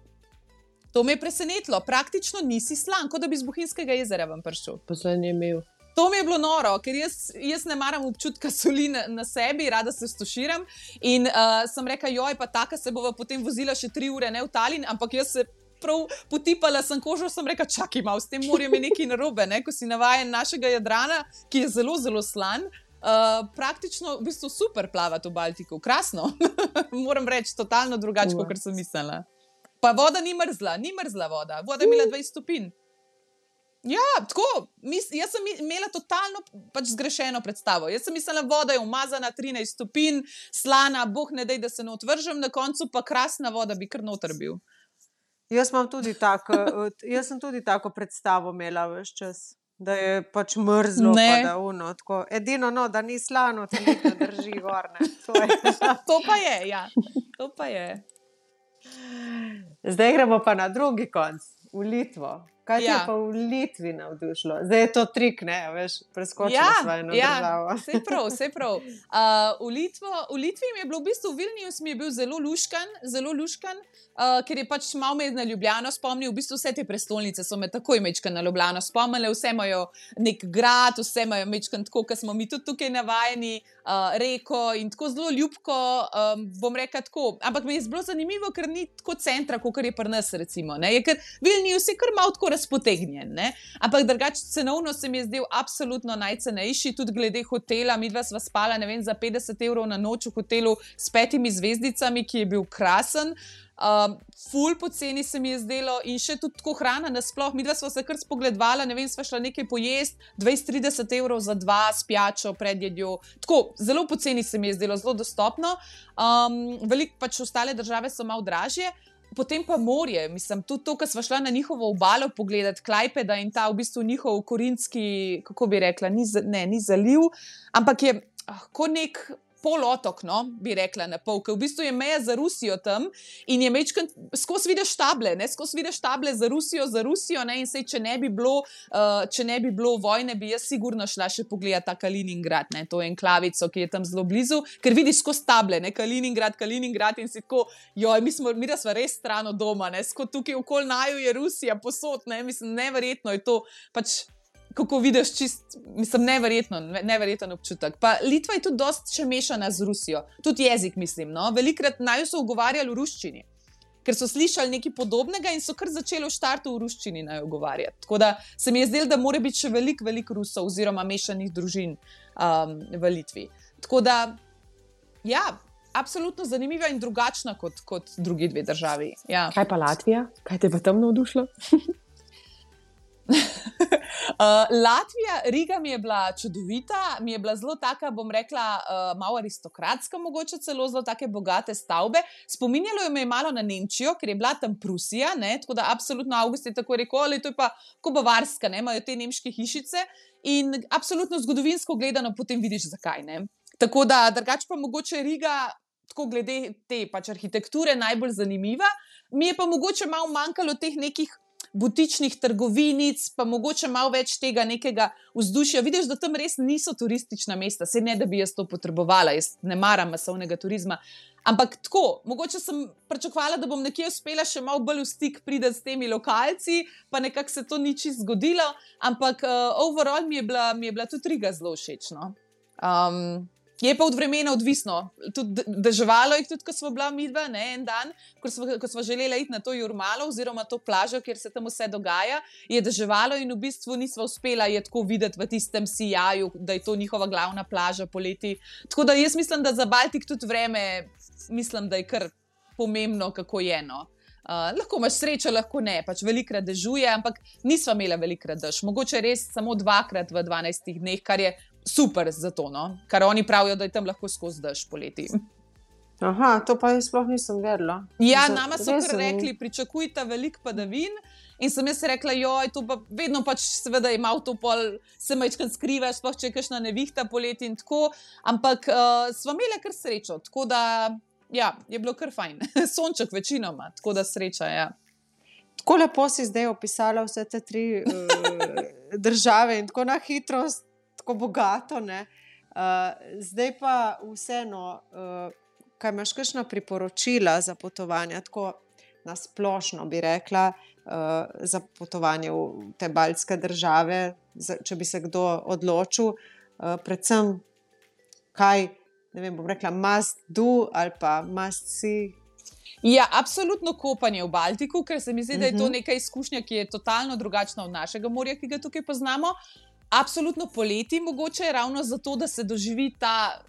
To me je presenetilo. Praktično nisi slan, kot da bi z Bohinjskega jezera vam prišel. Poslednji je imel. To mi je bilo noro, ker jaz, jaz ne maram občutka soli na, na sebi, rada se stoširam. In uh, sem rekla, joj, pa taka se bova potem vozila še tri ure, ne v Tallinn, ampak jaz se prav potipala sem kožo, sem rekla, čakaj malo, s tem morjem je nekaj narobe, ne? Ko si navajen našega Jadrana, ki je zelo, zelo slan. Uh, praktično v bistvu super plavati v Baltiku, krasno. Moram reči, totalno drugače, kot sem mislila. Pa voda ni mrzla, ni mrzla voda, voda je imela dvajset stopinj. Ja, tako, mis, jaz sem imela totalno pač zgrešeno predstavo. Jaz sem mislila, voda je umazana, trinajst stopinj, slana, boh ne dej, da se ne otvržem, na koncu pa krasna voda bi kar noter bil. Jaz imam tudi tako, jaz sem tudi tako predstavo imela veš čas, da je pač mrzlo, Ne. pa da uno, tako, edino no, da ni slano, te nekaj drži gor, ne. To je. To pa je, ja. To pa je. Zdaj gremo pa na drugi konc, v Litvo. Kaj ti Ja. je pa v Litvi navdušilo? Zdaj je to trik, ne, veš, preskočila Ja, sva eno ja, državo. saj prav, saj prav. Uh, v, Litvo, v Litvi mi je bilo v bistvu, Vilnius mi je bil zelo luškan, zelo luškan, uh, ker je pač malo me na Ljubljano spomnil, v bistvu vse te prestolnice so me takoj mečkan na Ljubljano spomnile, vse imajo nek grad, vse imajo mečkan tako, kot smo mi tudi tukaj navajeni, uh, reko in tako zelo ljubko, um, bom rekla tako, ampak mi je zelo zanimivo, ker ni tako centra, kot je pri nas recimo, ne, je ker Vilnius je kar malo tako razpotegnjen, ne? Ampak drugače cenovno se mi je zdel absolutno najcenejši, tudi glede hotela, midva sva spala, ne vem, za petdeset evrov na noč v hotelu s petimi zvezdicami, ki je bil krasen. Um, ful poceni se mi je zdelo in še tudi tako hrana nasploh, midva sva se kar spogledvala, ne vem, sva šla nekaj pojest, dvajset trideset evrov za dva s pijačo, predjedjo, tako, zelo poceni se mi je zdelo, zelo dostopno, um, veliko pač ostale države so malo dražje. Potem pa morje, mislim, tudi to, ko sva šla na njihovo obalo pogledati, Klajpeda in ta v bistvu njihov korinski, kako bi rekla, ni, ne, ni zaliv, ampak je ah, kot nek polotok, no, bi rekla na pol, ker v bistvu je meja za Rusijo tam in je mečkan, skozi vidiš table, ne, skozi vidiš table za Rusijo, za Rusijo, ne, in sej, če ne bi bilo, uh, če ne bi bilo vojne, bi jaz sigurno šla še pogledati ta Kaliningrad, ne, to enklavico, ki je tam zelo blizu, ker vidiš skozi table, ne, Kaliningrad, Kaliningrad in si tako, joj, mi smo, mi da sva res stran od doma, ne, skozi tukaj okoli naju je Rusija posod, ne, mislim, neverjetno je to, pač, kako vidiš, čist, mislim, neverjetno, neverjeten občutek. Pa Litva je tudi dosti še mešana z Rusijo, tudi jezik, mislim, no, velikrat naju so ugovarjali v ruščini, ker so slišali nekaj podobnega in so kar začeli v štartu v ruščini naju ugovarjati. Tako da se mi je zdelo, da mora biti še veliko, veliko Rusov oziroma mešanih družin um, v Litvi. Tako da, ja, absolutno zanimiva in drugačna kot, kot drugi dve državi. Ja. Kaj pa Latvija? Kaj te pa tam navdušilo? Uh, Latvija, Riga mi je bila čudovita, mi je bila zelo taka, bom rekla, uh, malo aristokratska, mogoče celo zelo take bogate stavbe. Spominjalo je me malo na Nemčijo, ker je bila tam Prusija, ne, tako da absolutno August je tako rekel, ali to je pa ko Bavarska, ne, imajo te nemške hišice in absolutno zgodovinsko gledano potem vidiš zakaj, ne. Tako da, drugače pa mogoče Riga, tako glede te pač arhitekture najbolj zanimiva, mi je pa mogoče malo manjkalo teh nekih butičnih trgovinic, pa mogoče malo več tega nekega vzdušja. Vidiš, da tam res niso turistična mesta, saj ne, da bi jaz to potrebovala, jaz ne maram masovnega turizma, ampak tako, mogoče sem pričakovala, da bom nekje uspela še malo bolj v stik priti s temi lokalci, pa nekako se to ni čisto zgodilo, ampak uh, overall mi je bila, mi je bila tudi Riga zelo všeč, no. Um, Je pa od vremena odvisno, tudi deževalo je tudi, ko smo bila midva, ne, en dan, ko smo, ko smo želela iti na to Jurmalo oziroma to plažo, kjer se tam vse dogaja, je deževalo in v bistvu nisva uspela je tako videti v tistem sijaju, da je to njihova glavna plaža poleti. Tako da jaz mislim, da za Baltik tudi vreme, mislim, da je kar pomembno, kako je, no. Uh, lahko imaš srečo, lahko ne, pač velikrat dežuje, ampak nisva imela velikrat dež. Mogoče res samo dvakrat v dvanajstih dneh, kar je super za to, no? Kar oni pravijo, da je tam lahko skozi dež poleti. Aha, to pa jaz sploh nisem vedela. Ja, Za- nama so res kar sem- rekli, pričakujte veliko padavin in sem jaz rekla, joj, to pa vedno pač seveda je malo to pol, se majčkrat skrivaš, sploh če je kakšna nevihta poleti in tako, ampak uh, sva imela kar srečo, tako da, ja, je bilo kar fajn. Sonček večinoma, tako da sreča, ja. Tako lepo si zdaj opisala vse te tri uh, države in tako na hitro, tako bogato, ne. Uh, zdaj pa vseeno, uh, kaj imaš kakšna priporočila za potovanja, tako na splošno bi rekla, uh, za potovanje v te baltske države, za, če bi se kdo odločil, uh, predvsem kaj, ne vem, bom rekla must do ali pa must see. Ja, absolutno kopanje v Baltiku, ker se mi zdi, da je to Mhm. neka izkušnja, ki je totalno drugačna od našega morja, ki ga tukaj poznamo. Absolutno poleti mogoče ravno zato, da se doživi ta,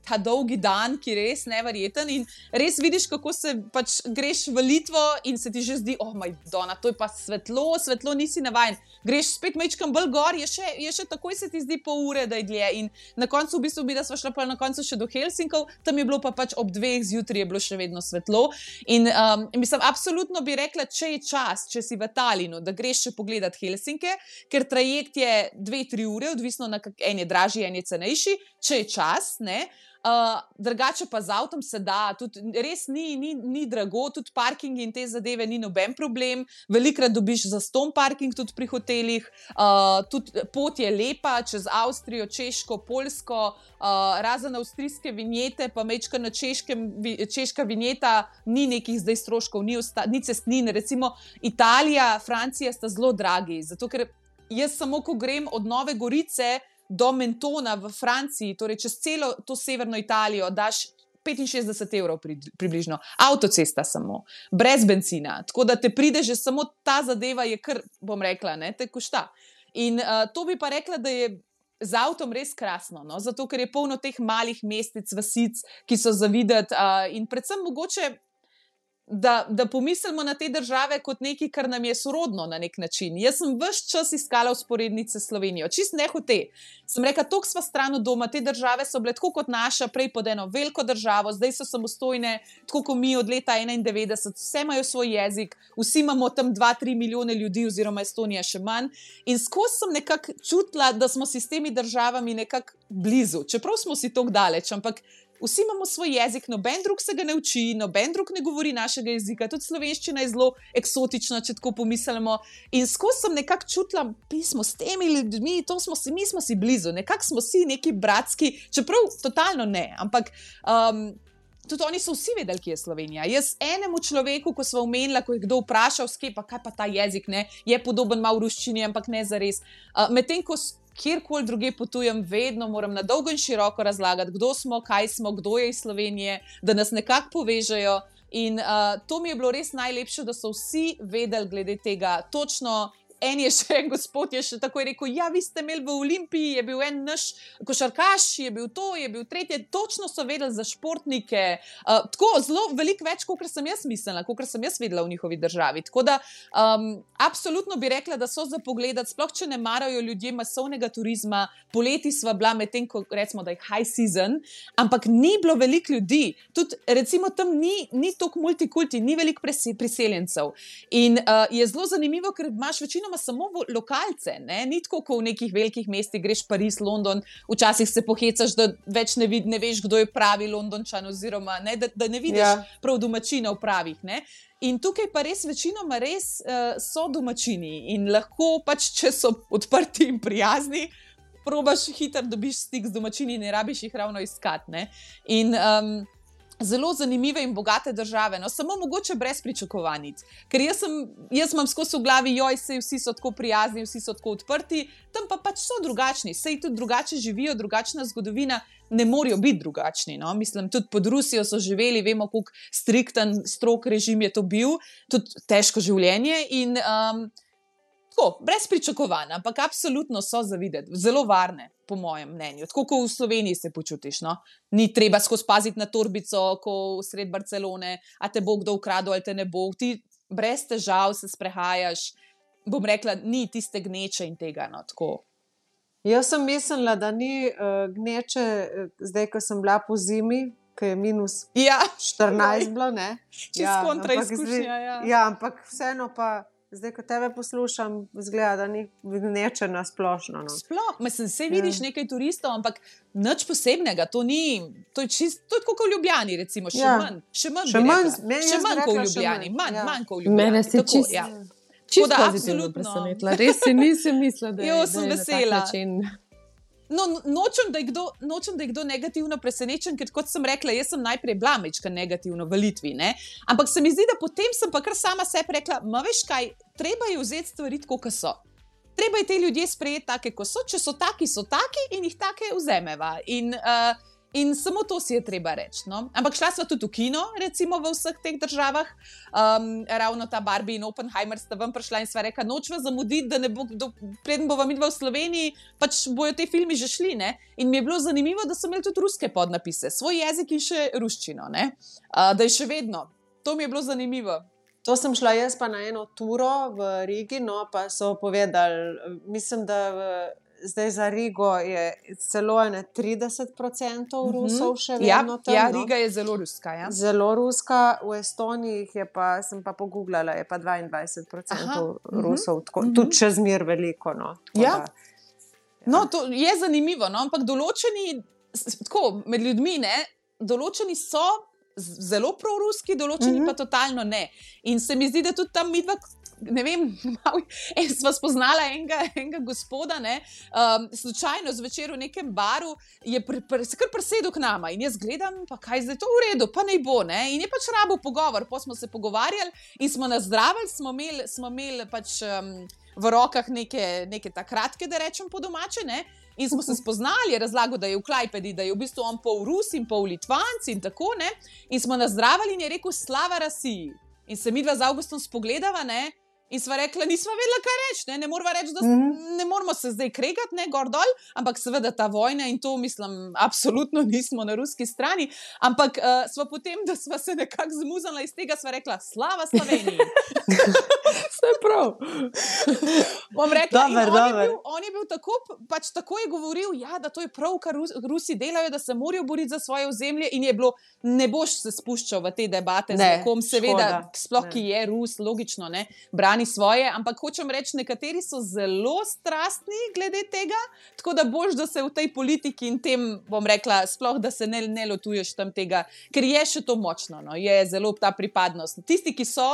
ta dolgi dan, ki je res neverjeten in res vidiš, kako se pač greš v Litvo in se ti že zdi, oh, Madonna, to je pa svetlo, svetlo nisi navajen. Greš spet majčkam bolj gor, je še, je še takoj se ti zdi pol ure, da je dlje. In na koncu, v bistvu, bi da sva šla pa na koncu še do Helsinkov, tam je bilo pa pač ob dveh zjutraj je bilo še vedno svetlo. In um, mislim, absolutno bi rekla, če je čas, če si v Talinu, da greš še pogledat Helsinke, ker trajekt je dve, tri ure, odvisno na kak, en je dražji, en je cenejši, če je čas, ne. Uh, drugače pa z avtom se da, tudi res ni, ni, ni drago, tudi parking in te zadeve ni noben problem, velikrat dobiš zastonj parking tudi pri hotelih, uh, tudi pot je lepa čez Avstrijo, Češko, Poljsko, uh, razen avstrijske vinjete, pa mečka na češkem, češka vinjeta ni nekih zdaj stroškov, ni, osta, ni cestnine, recimo Italija, Francija sta zelo dragi, zato ker jaz samo, ko grem od Nove Gorice do Mentona v Franciji, torej čez celo to severno Italijo, daš petinšestdeset evrov pri, približno. Avtocesta samo, brez bencina. Tako da te pride že samo ta zadeva je kar, bom rekla, ne, te košta. In uh, to bi pa rekla, da je z avtom res krasno, no? Zato ker je polno teh malih mestic, vasic, ki so za videti uh, in predvsem mogoče Da, da pomislimo na te države kot nekaj, kar nam je sorodno na nek način. Jaz sem ves čas iskala vzporednice s Slovenijo, čist ne hote. Sem rekla, toliko sva stran od doma, te države so bile tako kot naša, prej pod eno veliko državo, zdaj so samostojne, tako kot mi od leta enaindevetdeset, vse imajo svoj jezik, vsi imamo tam dva, tri milijone ljudi, oziroma Estonija še manj. In skozi sem nekako čutila, da smo si s temi državami nekako blizu, čeprav smo si tako daleč, ampak vsi imamo svoj jezik, noben drug se ga ne uči, noben drug ne govori našega jezika, tudi slovenščina je zelo eksotična, če tako pomislimo. In skozi sem nekako čutila, pismo s temi ljudmi, to smo si, mi smo si blizu, nekako smo si neki bratski, čeprav totalno ne, ampak um, tudi oni so vsi vedeli, kje je Slovenija. Jaz enemu človeku, ko sva omenila, ko je kdo vprašal, skej, pa kaj pa ta jezik, ne, je podoben malo v ruščini, ampak ne zares. Uh, medtem, ko kjerkoli druge potujem, vedno moram na dolgo in široko razlagati, kdo smo, kaj smo, kdo je iz Slovenije, da nas nekako povežejo. In uh, to mi je bilo res najlepše, da so vsi vedeli glede tega točno. En je še, en gospod je še takoj rekel, ja, vi ste imeli v Olimpiji, je bil en naš košarkaš, je bil to, je bil tretje, točno so vedeli za športnike, uh, tako zelo veliko več, kot sem jaz mislila, kot sem jaz vedela v njihovi državi. Tako da, um, absolutno bi rekla, da so za pogledati, sploh če ne marajo ljudje masovnega turizma, poleti sva bila med tem, ko recimo, da je high season, ampak ni bilo veliko ljudi, tudi recimo tam ni, ni toliko multikulti, ni veliko priseljencev. In uh, je zelo zanimivo, ker imaš večino samo lokalce, ne? Ni tako, ko v nekih velikih mestih greš Pariz, London, včasih se pohecaš, da več ne, vid, ne veš, kdo je pravi Londončan, oziroma ne, da, da ne vidiš ja. prav domačinov pravih. Ne? In tukaj pa res večinoma res uh, so domačini in lahko pač, če so odprti in prijazni, probaš hitro dobiš stik z domačini in ne rabiš jih ravno iskati. Ne? In um, zelo zanimive in bogate države, no, samo mogoče brez pričakovanj. Ker jaz, sem, jaz imam skozi v glavi, joj, sej vsi so tako prijazni, vsi so tako odprti, tam pa pač so drugačni, sej tudi drugače živijo, drugačna zgodovina, ne morajo biti drugačni. No? Mislim, tudi pod Rusijo so živeli, vemo, koliko strikten, strog režim je to bil, tudi težko življenje in um, tako, brez pričakovanj, ampak absolutno so za videti, zelo varne. Po mojem mnenju. Tako, ko v Sloveniji se počutiš, no? Ni treba skozi paziti na torbico, ko sred Barcelone, a te bo kdo ukradel ali te ne bo. Ti brez težav se sprehajaš, bom rekla, ni tiste gneče in tega, no, tako. Jaz sem mislila, da ni uh, gneče, zdaj, ko sem bila po zimi, ko je minus ja. štirinajst bilo, ne? Čez ja, kontra izkušnja, ja. Ja, ampak vseeno pa zdaj, ko tebe poslušam, zgleda, da ni gneče na splošno. No. Sploh, mislim, se vidiš ja. nekaj turistov, ampak nič posebnega, to ni, to je čist, to je tako kot v Ljubljani, recimo, še ja. manj, še manj, še manj, še manj kot v Ljubljani, manj, ja. manj kot v Ljubljani. Mene se tako, čist, ja. čist pozitivno presenetila, res si nisem mislila, da je, jo, da je na tak način. No, nočem, da je kdo, nočem, da je kdo negativno presenečen, ker kot sem rekla, jaz sem najprej bila majčka negativno v Litvi, ne? Ampak se mi zdi, da potem sem pa kar sama sebi rekla, ma veš kaj, treba je vzeti stvari tako, kot so. Treba je te ljudje sprejeti take, kot so, če so taki, so taki in jih take vzemeva. In, uh, In samo to si je treba reči. No? Ampak šla sva tudi v kino, recimo v vseh teh državah. Um, ravno ta Barbie in Oppenheimer sta ven prišla in sva rekla, nočva zamuditi, da ne bo, do, preden bova midva v Sloveniji, pač bojo te filmi že šli. Ne? In mi je bilo zanimivo, da so imeli tudi ruske podnapise, svoj jezik in še ruščino. Uh, da je še vedno. To mi je bilo zanimivo. To sem šla jaz pa na eno turo v Rigi, no pa so povedali, mislim, da v zdaj za Rigo je celo trideset procentov Rusov še vedno ja, tam. Ja, Riga je zelo ruska. Ja. Zelo ruska, v Estoniji je pa, sem pa pogooglala, je pa dvaindvajset procentov Aha, Rusov, tako, uh-huh. tudi čez mir veliko. No, ja. da, ja. No, to je zanimivo, no, ampak določeni, tako, med ljudmi, ne, določeni so zelo proruski, določeni uh-huh. pa totalno ne. In se mi zdi, da tudi tam midva, ne vem, malo, en, sva spoznala enega, enega gospoda, ne, um, slučajno zvečer v nekem baru, je pr, pr, se kar presedel k nama in jaz gledam, pa kaj zdaj to v redu, pa naj bo, ne, in je pač rabo pogovor, pa smo se pogovarjali in smo nazdravili, smo imeli, smo imeli pač um, v rokah neke, neke ta kratke, da rečem po domače, ne, in smo se spoznali, razlagal, da je v Klajpedi, da je v bistvu on pol Rus in pol Litvanc in tako, ne, in smo nazdravili in je rekel slava Rasiji. In se midva z Augustom spogledava, ne, in sva rekla, nisva vedela, kaj reči, ne, ne moramo reči, da mm-hmm. ne moramo se zdaj kregati, ne, gor dol, ampak seveda ta vojna in to, mislim, absolutno nismo na ruski strani, ampak uh, sva potem, da sva se nekako zmuzala iz tega, sva rekla, slava Sloveniji. Vse prav. Bom rekla, dober, on, je bil, dober. on je bil tako, pač tako je govoril, ja, da to je prav, kar Rus, Rusi delajo, da se morajo boriti za svoje ozemlje in je bilo, ne boš se spuščal v te debate ne, z nekom, seveda, škoda. Sploh, ne. Ki je Rus, logično, ne, brani svoje, ampak hočem reči, nekateri so zelo strastni glede tega, tako da boš, da se v tej politiki in tem, bom rekla, sploh, da se ne, ne lotuješ tam tega, ker je še to močno, no, je zelo ta pripadnost. Tisti, ki so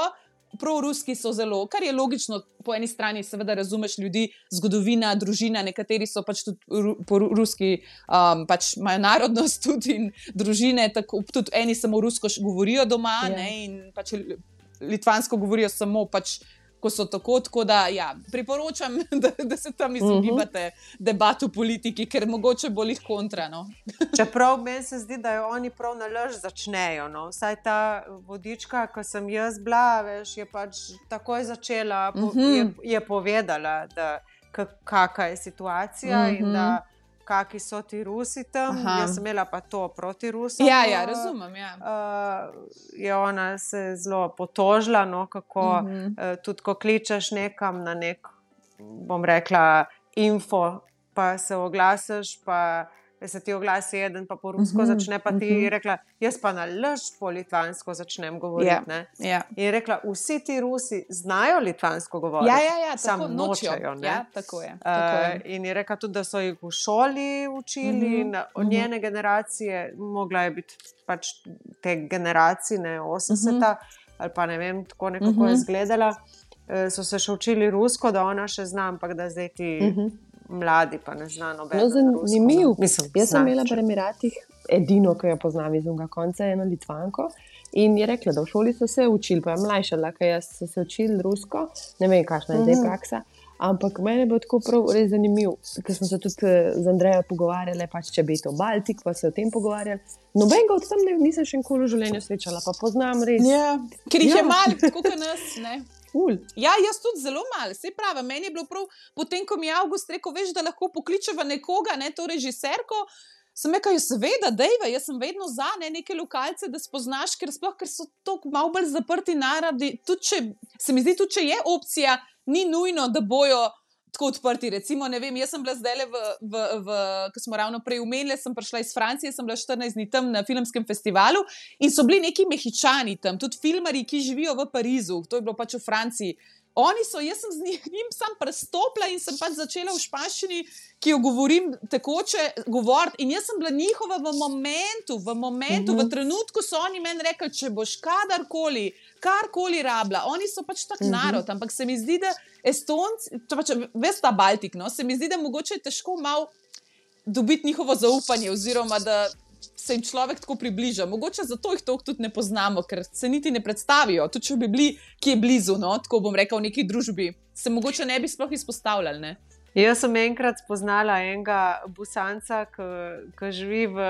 proruski, so zelo, kar je logično, po eni strani seveda razumeš ljudi, zgodovina, družina, nekateri so pač tudi ru, po ruski, um, pač imajo narodnost tudi in družine, tako, tudi eni samo rusko govorijo doma, yeah. ne, in pač litvansko govorijo samo pač ko so tako, tako da ja, priporočam, da, da se tam izogibate uh-huh. debatu politiki, ker mogoče bo lih kontra. No? Čeprav meni se zdi, da jo oni prav na laž začnejo. No? Vsaj ta vodička, ko sem jaz bila, veš, je pač takoj začela, uh-huh. je, je povedala, da kakšna je situacija uh-huh. in da kakšni so ti Rusi tam. Aha. Jaz sem imela pa to proti Rusom. Ja, ja, razumem, ja. Uh, je ona se zelo potožila, no, kako uh-huh. uh, tudi ko kličeš nekam na nek, bom rekla, info, pa se oglasiš, pa se ti oglasi eden, pa po rusko uh-huh. začne, pa ti uh-huh. rekla, jaz pa na laž po litvansko začnem govoriti. Yeah. Ne? Yeah. In je rekla, vsi ti Rusi znajo litvansko govoriti, ja, ja, ja, samo nočejo. Ja, tako je. Tako je. Uh, in je rekla tudi, da so jih v šoli učili uh-huh. in od njene uh-huh. generacije, mogla je biti pač te generacije, osemdeseta, uh-huh. ali pa ne vem, tako nekako uh-huh. je izgledala, uh, so se še učili rusko, da ona še zna, ampak da zdaj ti... Uh-huh. mladi, pa ne zna nobeno. No, zanimiv. Mislim, jaz sem imela v Emiratih edino, ki jo poznam iz unga konca, eno Litvanko. In je rekla, da v šoli so se učili, pa je mlajša, laka jaz so se učili rusko, ne vem, kakšna je zdaj praksa, ampak meni je bilo tako prav res zanimiv, ker smo se tudi z Andrejo pogovarjali, pač če bi to Baltik, pa se o tem pogovarjali. Nobenega od tam ne, nisem še nikoli v življenju srečala, pa poznam res. Ja, ker jih ja. je malo, tako kot nas, ne. Ful. Ja, jaz tudi zelo malo, sej pravi, meni je bilo prav, potem, ko mi je August rekel, veš, da lahko pokličeva nekoga, ne, to režiserko, sem rekla, seveda, dejva, jaz sem vedno za, ne, neke lokalce, da spoznaš, ker sploh, ker so tako malo bolj zaprti narodi, tudi če, se mi zdi, tudi če je opcija, ni nujno, da bojo tako odprti, recimo, ne vem, jaz sem bila zdaj v, v, v, ko smo ravno prej umenili, sem prišla iz Francije, sem bila štirinajst dni tam na filmskem festivalu in so bili neki Mehičani tam, tudi filmarji, ki živijo v Parizu, to je bilo pač v Franciji. Oni so, jaz sem z njim sam prestopila in sem pač začela v španščini, ki jo govorim tekoče, govoriti in jaz sem bila njihova v momentu, v momentu, uh-huh. v trenutku so oni meni rekli, če boš kadarkoli, karkoli rabila, oni so pač tak uh-huh. narod, ampak se mi zdi, da Estonci, to pač, veš ta Baltik, no, se mi zdi, da mogoče je težko malo dobiti njihovo zaupanje oziroma da se jim človek tako približa. Mogoče zato jih toliko tudi ne poznamo, ker se niti ne predstavijo. Tudi če bi bili kje blizu, no, tako bom rekel, v neki družbi, se mogoče ne bi sploh izpostavljali, ne? Jaz sem enkrat spoznala enega Bosanca, ki živi v,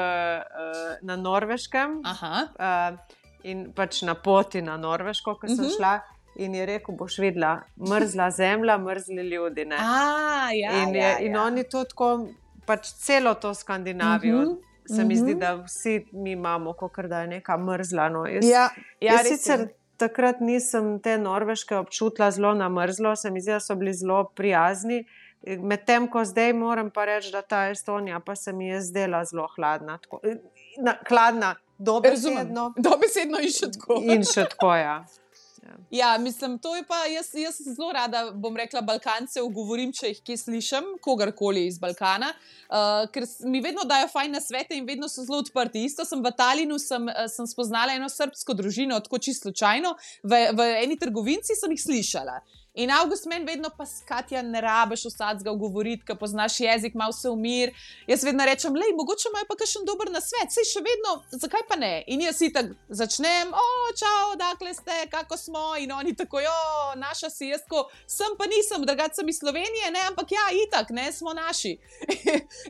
na Norveškem. Uh, in pač na poti na Norveško, ko sem uh -huh. šla. In je rekel, boš videla, mrzla zemlja, mrzli ljudi. A, ja, in, je, ja, in ja. oni to tako, pač celo to Skandinavijo, uh -huh. se mi uh -huh. zdi, da vsi mi imamo, kakor da je neka mrzla. No. Jaz, ja, ja, jaz sicer takrat nisem te Norveške občutila zelo na mrzlo, se mi zdi, da so bili zelo prijazni. Medtem ko zdaj moram pa reči, da ta Estonija pa se mi je zdela zelo hladna. Tako, na, hladna, dobesedno. Dobesedno in še tako. In še tako, ja. Ja, mislim, to je pa, jaz, jaz zelo rada, bom rekla, Balkance ugovorim, če jih kje slišim, kogarkoli iz Balkana, uh, ker mi vedno dajo fajn nasvete in vedno so zelo odprti. Isto sem v Talinu, sem, sem spoznala eno srbsko družino, tako čisto slučajno, v, v eni trgovinci sem jih slišala. In Avgust meni vedno pa Katja ne rabiš vsadzga govoriti, ker poznaš jezik, malo se umir. Jaz vedno rečem, lej, mogoče imajo pa kakšen dober nasvet, sej še vedno, zakaj pa ne? In jaz si tako začnem, o, čau, dakle ste, kako smo? In oni tako, jo, naša si, jaz tako, sem pa nisem, drugače sem iz Slovenije, ne, ampak ja, itak, ne, smo naši.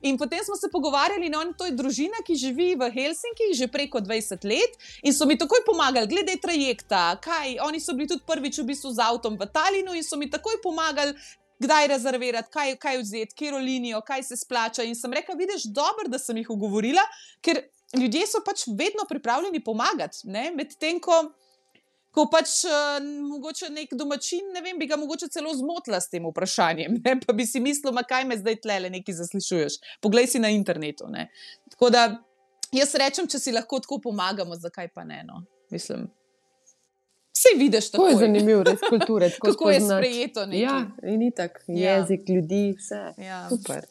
In potem smo se pogovarjali, in oni, to je družina, ki živi v Helsinki že preko dvajset let in so mi takoj pomagali, glede trajekta, kaj, oni so bili tudi prvič v bistvu z avtom v Talinu in so mi takoj pomagali, kdaj rezervirati, kaj, kaj vzeti, kjero linijo, kaj se splača. In sem rekla, vidiš, dobro, da sem jih ugovorila, ker ljudje so pač vedno pripravljeni pomagati, ne, medtem ko ko pač uh, mogoče nek domačin, ne vem, bi ga mogoče celo zmotila s tem vprašanjem, ne? Pa bi si mislil, ma kaj me zdaj tlele nekaj zaslišuješ, poglej si na internetu, ne. Tako da, jaz rečem, če si lahko tako pomagamo, zakaj pa ne, no, mislim. Vse vidiš tako. To je zanimivo, res kulture. Kako je sprejeto nekaj. Ja, in itak, jezik, ja. ljudi, vse. Ja. Super.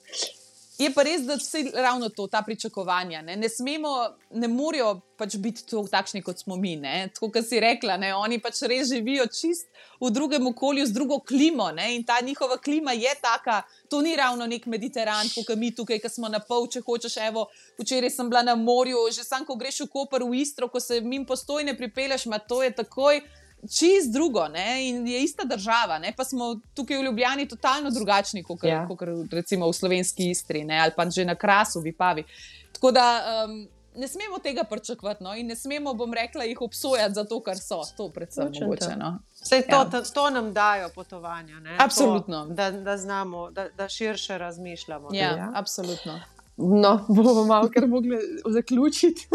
Je pa res, da vse ravno to, ta pričakovanja. Ne, ne smemo, ne morajo pač biti to, takšni, kot smo mi. Ne. Tako, kot si rekla, ne, oni pač res živijo čist v drugem okolju, z drugo klimo. Ne, in ta njihova klima je taka, to ni ravno nek Mediteran, kot mi tukaj, ki smo na pol, če hočeš. Evo, včeraj sem bila na morju, že sam, ko greš v Koper, v Istro, ko se mimo Postojne pripelješ, ma to je takoj čist drugo, ne, in je ista država, ne, pa smo tukaj v Ljubljani totalno drugačni, kot ja. recimo v slovenski Istri, ne, ali pa že na Krasu, v Vipavi. Tako da um, ne smemo tega pričakovati, no, in ne smemo, bom rekla, jih obsojati za to, kar so, to predvsem mogoče, no. Sej to, ja. to nam dajo potovanja, ne. Absolutno. To, da, da znamo, da, da širše razmišljamo. Ja, ja, absolutno. No, bomo malo kar mogli zaključiti.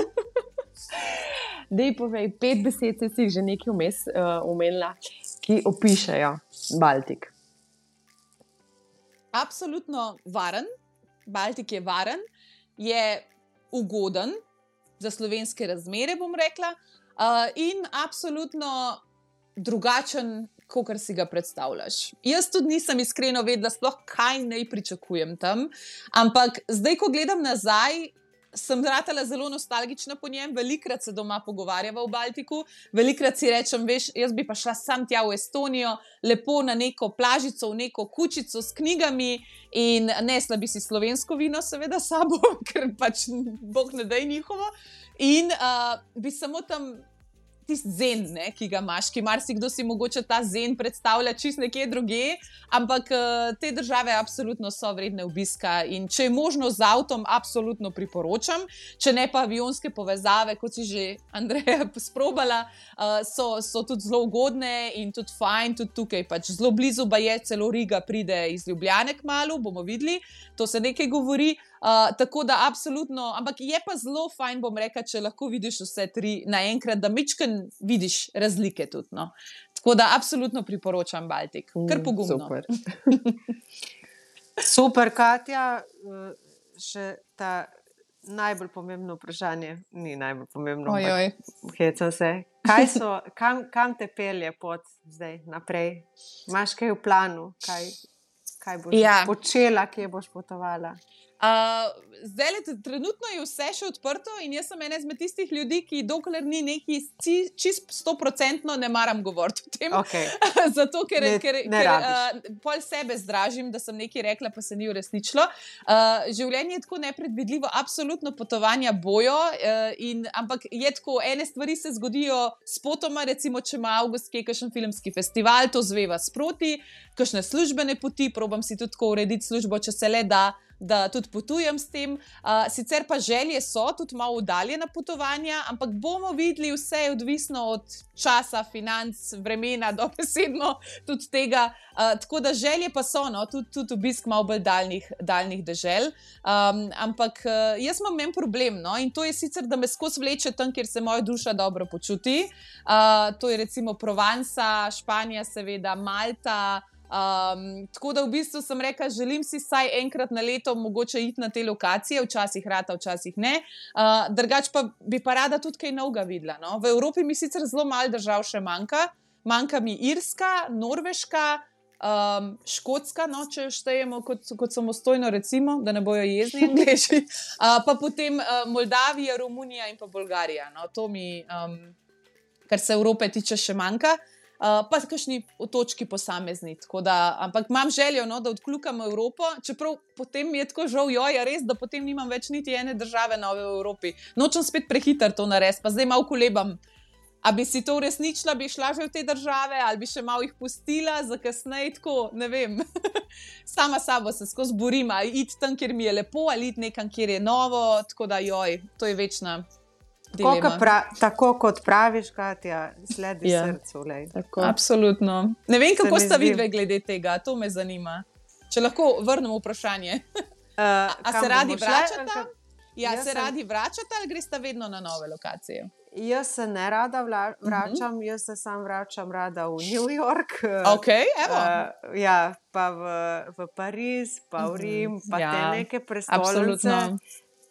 Dej povej, pet besed si jih že nekaj vmes uh, omenila, ki opišajo Baltik. Absolutno varen. Baltik je varen, je ugoden za slovenske razmere, bom rekla, uh, in absolutno drugačen, kot si ga predstavljaš. Jaz tudi nisem iskreno vedela, sploh kaj naj pričakujem tam, ampak zdaj, ko gledam nazaj, sem ratala zelo nostalgična po njem, velikrat se doma pogovarjava v Baltiku, velikrat si rečem, veš, jaz bi pa šla sam tja v Estonijo, lepo na neko plažico, v neko kučico s knjigami in nesla bi si slovensko vino, seveda sabo, ker pač Bog ne daj njihovo, in uh, bi samo tam tisti zen, ne, ki ga imaš, ki marsikdo si mogoče ta zen predstavlja čist nekje druge, ampak uh, te države absolutno so vredne obiska in če je možno z avtom, absolutno priporočam, če ne pa avionske povezave, kot si že Andreja sprobala, uh, so, so tudi zelo ugodne in tudi fajn, tudi tukaj pač zelo blizu, ba je celo Riga pride iz Ljubljane kmalu, bomo videli, to se nekaj govori. Uh, tako da absolutno, ampak je pa zelo fajn, bom rekla, če lahko vidiš vse tri naenkrat, da mičken vidiš razlike tudi. No. Tako da absolutno priporočam Baltik, kar pogumno. Super. Super, Katja, še ta najbolj pomembno vprašanje, ni najbolj pomembno, hecam se. Kaj so, kam, kam te pelje pot zdaj naprej? Imaš kaj v planu? Kaj, kaj boš ja. počela, kje boš potovala? Uh, zdaj, le, trenutno je vse še odprto in jaz sem ena izmed tistih ljudi, ki dokler ni neki čist stoprocentno ne maram govoriti o tem. Okay. Zato, ker, ne, ker, ne ker uh, pol sebe zdražim, da sem nekaj rekla, pa se ni uresničilo. Uh, življenje je tako nepredvidljivo, absolutno potovanja bojo, uh, in, ampak je tako, ene stvari se zgodijo spotoma, recimo, če ima avgust kje kakšen filmski festival, to zveva sproti, kakšne službene poti, probam si tudi tako urediti službo, če se le da, da tudi potujem s tem. Uh, sicer pa želje so tudi malo oddaljena potovanja, ampak bomo videli, vse je odvisno od časa, financ, vremena, dobesedno tudi tega. Uh, tako da želje pa so, no, tudi, tudi obisk malo bolj daljnih, daljnih dežel. Um, ampak uh, jaz imam en problem, no, in to je sicer, da me skozi vleče tam, kjer se moja duša dobro počuti. Uh, to je recimo Provansa, Španija, seveda, Malta. Um, tako da v bistvu sem rekla, želim si vsaj enkrat na leto mogoče iti na te lokacije, včasih rata, včasih ne. Uh, drugač pa bi pa rada tudi kaj novega videla. No? V Evropi mi sicer zelo malo držav še manjka. Manjka mi Irska, Norveška, um, Škotska, no, če jo štejemo kot, kot samostojno, recimo, da ne bojo jezni Angleži. Uh, pa potem uh, Moldavija, Romunija in pa Bolgarija. No? To mi, um, kar se Evrope tiče, še manjka. Uh, pa kakšni otočki posamezni. Da, ampak imam željo, no, da odkljukam Evropo, čeprav potem mi je tako žal, joj, res, da potem nimam več niti ene države nove v Evropi. Nočem spet prehiter to narediti, pa zdaj malo kolebam. A bi si to uresničila, bi šla že v te države, ali bi še malo jih pustila za kasneje, tako, ne vem. Sama sabo se skozi borim, ali iti tam, kjer mi je lepo, ali iti nekam, kjer je novo, tako da, joj, to je večna. Tako, pra, tako kot praviš, Katja, sledi ja. Srcu. Absolutno. Ne vem, kako sta vidve glede tega, to me zanima. Če lahko vrnemo vprašanje. Uh, a a se radi vračata? Ja, se sem... radi vračata ali gresta vedno na nove lokacije? Jaz se ne rada vla, vračam, uh -huh. jaz se sam vračam rada v New York. Ok, evo. Uh, ja, pa v, v Pariz, pa v Rim, pa ja, te neke prestolnice. Absolutno.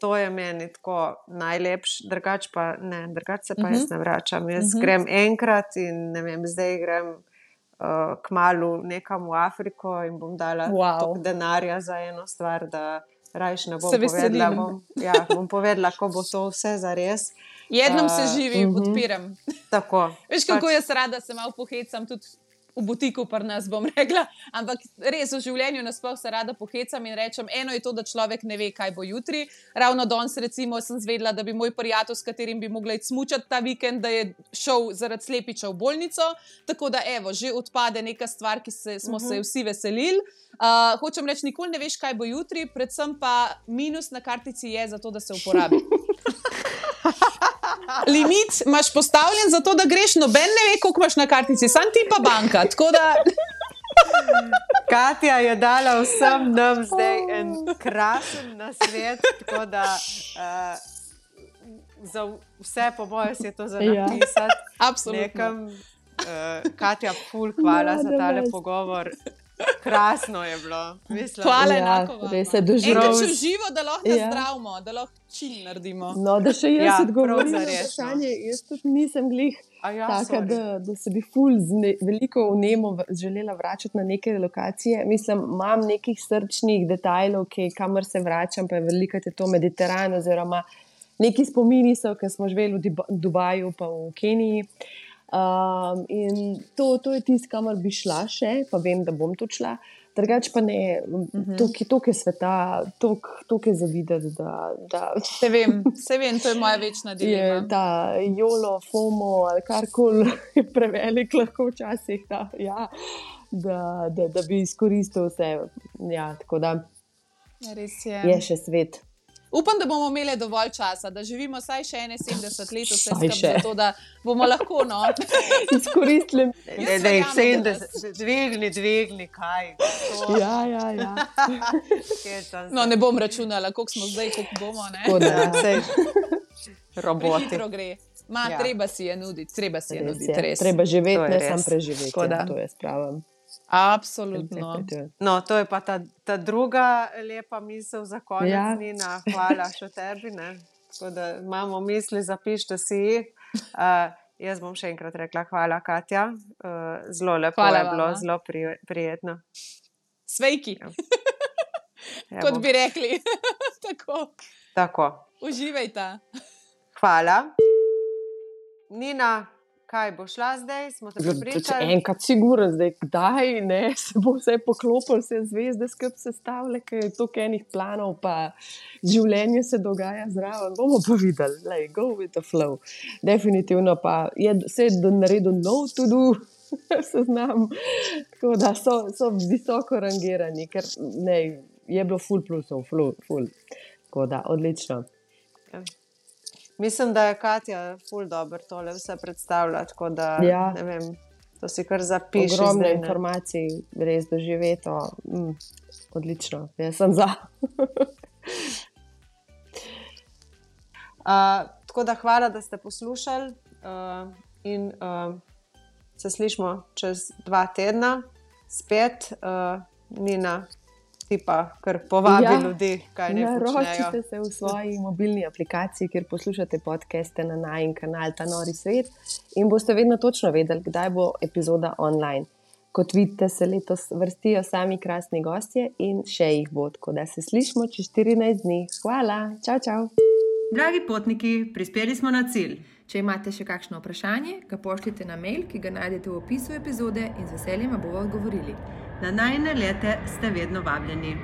To je meni tako najlepš, drugač pa ne, drugač se pa uh -huh. jaz ne vračam. Jaz uh -huh. grem enkrat in ne vem, zdaj grem uh, kmalu nekam v Afriko in bom dala wow. toliko denarja za eno stvar, da rajš ne bom se povedala. Bom, ja, bom povedala, ko bo to vse zares. Jednom uh, se živi, uh -huh. podpiram. Tako. Veš, kako pač... jaz rada se malo pohecam tudi v butiku pri nas, bom rekla, ampak res v življenju nasploh se rada pohecam in rečem, eno je to, da človek ne ve, kaj bo jutri. Ravno danes recimo sem zvedela, da bi moj prijatelj, s katerim bi mogla iti smučati ta vikend, da je šel zaradi slepiča v bolnico, tako da evo, že odpade neka stvar, ki se, smo uh -huh. se vsi veselili. Uh, hočem reči, nikoli ne veš, kaj bo jutri, predvsem pa minus na kartici je za to, da se uporabi. Limit imaš postavljen za to, da greš, noben ne ve, koliko imaš na kartici, sam ti pa banka. Tako da... Katja je dala vsem nam zdaj en krasen nasvet, tako da uh, za vse po moje si je to za napisati. Absolutno. Uh, Katja, ful, hvala no, za tale pogovor. Krasno je bilo. Mislim, hvala, enako vam. Res se doživljamo. Enkrat še v živo, da lahko ja. zdravimo, da lahko čim naredimo. No, da še jaz ja, odgovorim na vprašanje. Jaz tudi nisem glih ja, taka, da, da se bi ful zne, veliko vnemo želela vračati na neke lokacije. Mislim, imam nekih srčnih detajlov, ki, kamor se vračam, pa je veliko je to Mediteran, oziroma neki spomini so, ki smo živeli v Dubaju pa v Keniji. Um, in to, to je tisto, kamor bi šla še, pa vem, da bom tu šla. Drugač pa ne, toliko je sveta, toliko je za videti. Da, da se, vem, se vem, to je moja večna dilema. Je ta jolo, fomo ali karkoli je prevelik lahko včasih, da, ja, da, da, da bi izkoristil vse. Ja, tako da res je. Je še svet. Upam, da bomo imeli dovolj časa, da živimo vsaj še ene sedemdeset let, vse skupaj, zato da bomo lahko no. izkoristili. Ne, ne, sedemdeset, dvigni, dvigni, kaj. To. Ja, ja, ja. No, ne bom računala, koliko smo zdaj, koliko bomo, ne? Koda, sej, roboti. Hitro gre. Ma, ja. treba si je nuditi, treba si je res nuditi, je. res. Treba živeti, ne sam preživeti, ja, to je spravo. Absolutno. No, to je pa ta, ta druga lepa misel za konec, ja. Nina. Hvala še tebi. Ne? Tako da imamo misli, zapišite si jih. Uh, jaz bom še enkrat rekla hvala, Katja. Uh, zelo lepo hvala je bilo, zelo pri, prijetno. Svejki. Kot bi rekli. Tako. Tako. Uživajte. Hvala. Nina, kaj bo šla zdaj? Smo te prepričali? Enkrat sigurno, zdaj kdaj, ne, se bo vse poklopil, vse zvezde skup sestavile, ker je toliko enih planov, pa življenje se dogaja zraven. Bomo pa videli, like, go with the flow. Definitivno pa je se je naredil nov to-do seznam, tako da so, so visoko rangirani, ker ne, je bilo ful plusov, ful, ful. Tako da, odlično. Ja. Mislim, da je Katja ful dobro tole vse predstavlja, tako da, Ja. ne vem, to si kar zapiši Ogromno zdaj. Ne? informacij, res doživeto. Mm, odlično, jaz sem za. Uh, tako da hvala, da ste poslušali uh, in uh, se slišimo čez dva tedna spet. Uh, Nina, ti pa kar povabi Ja, ljudi, kaj ne počnejo. Naročite se v svoji mobilni aplikaciji, kjer poslušate podcaste na najin kanal Ta nori svet in boste vedno točno vedeli, kdaj bo epizoda online. Kot vidite, se letos vrstijo sami krasni gostje in še jih bo, tako da se slišimo čez štirinajst dni. Hvala, čau, čau. Dragi potniki, prispeli smo na cilj. Če imate še kakšno vprašanje, ga pošljite na mail, ki ga najdete v opisu epizode in z veseljem vam bomo odgovorili. Na najine lete ste vedno vabljeni.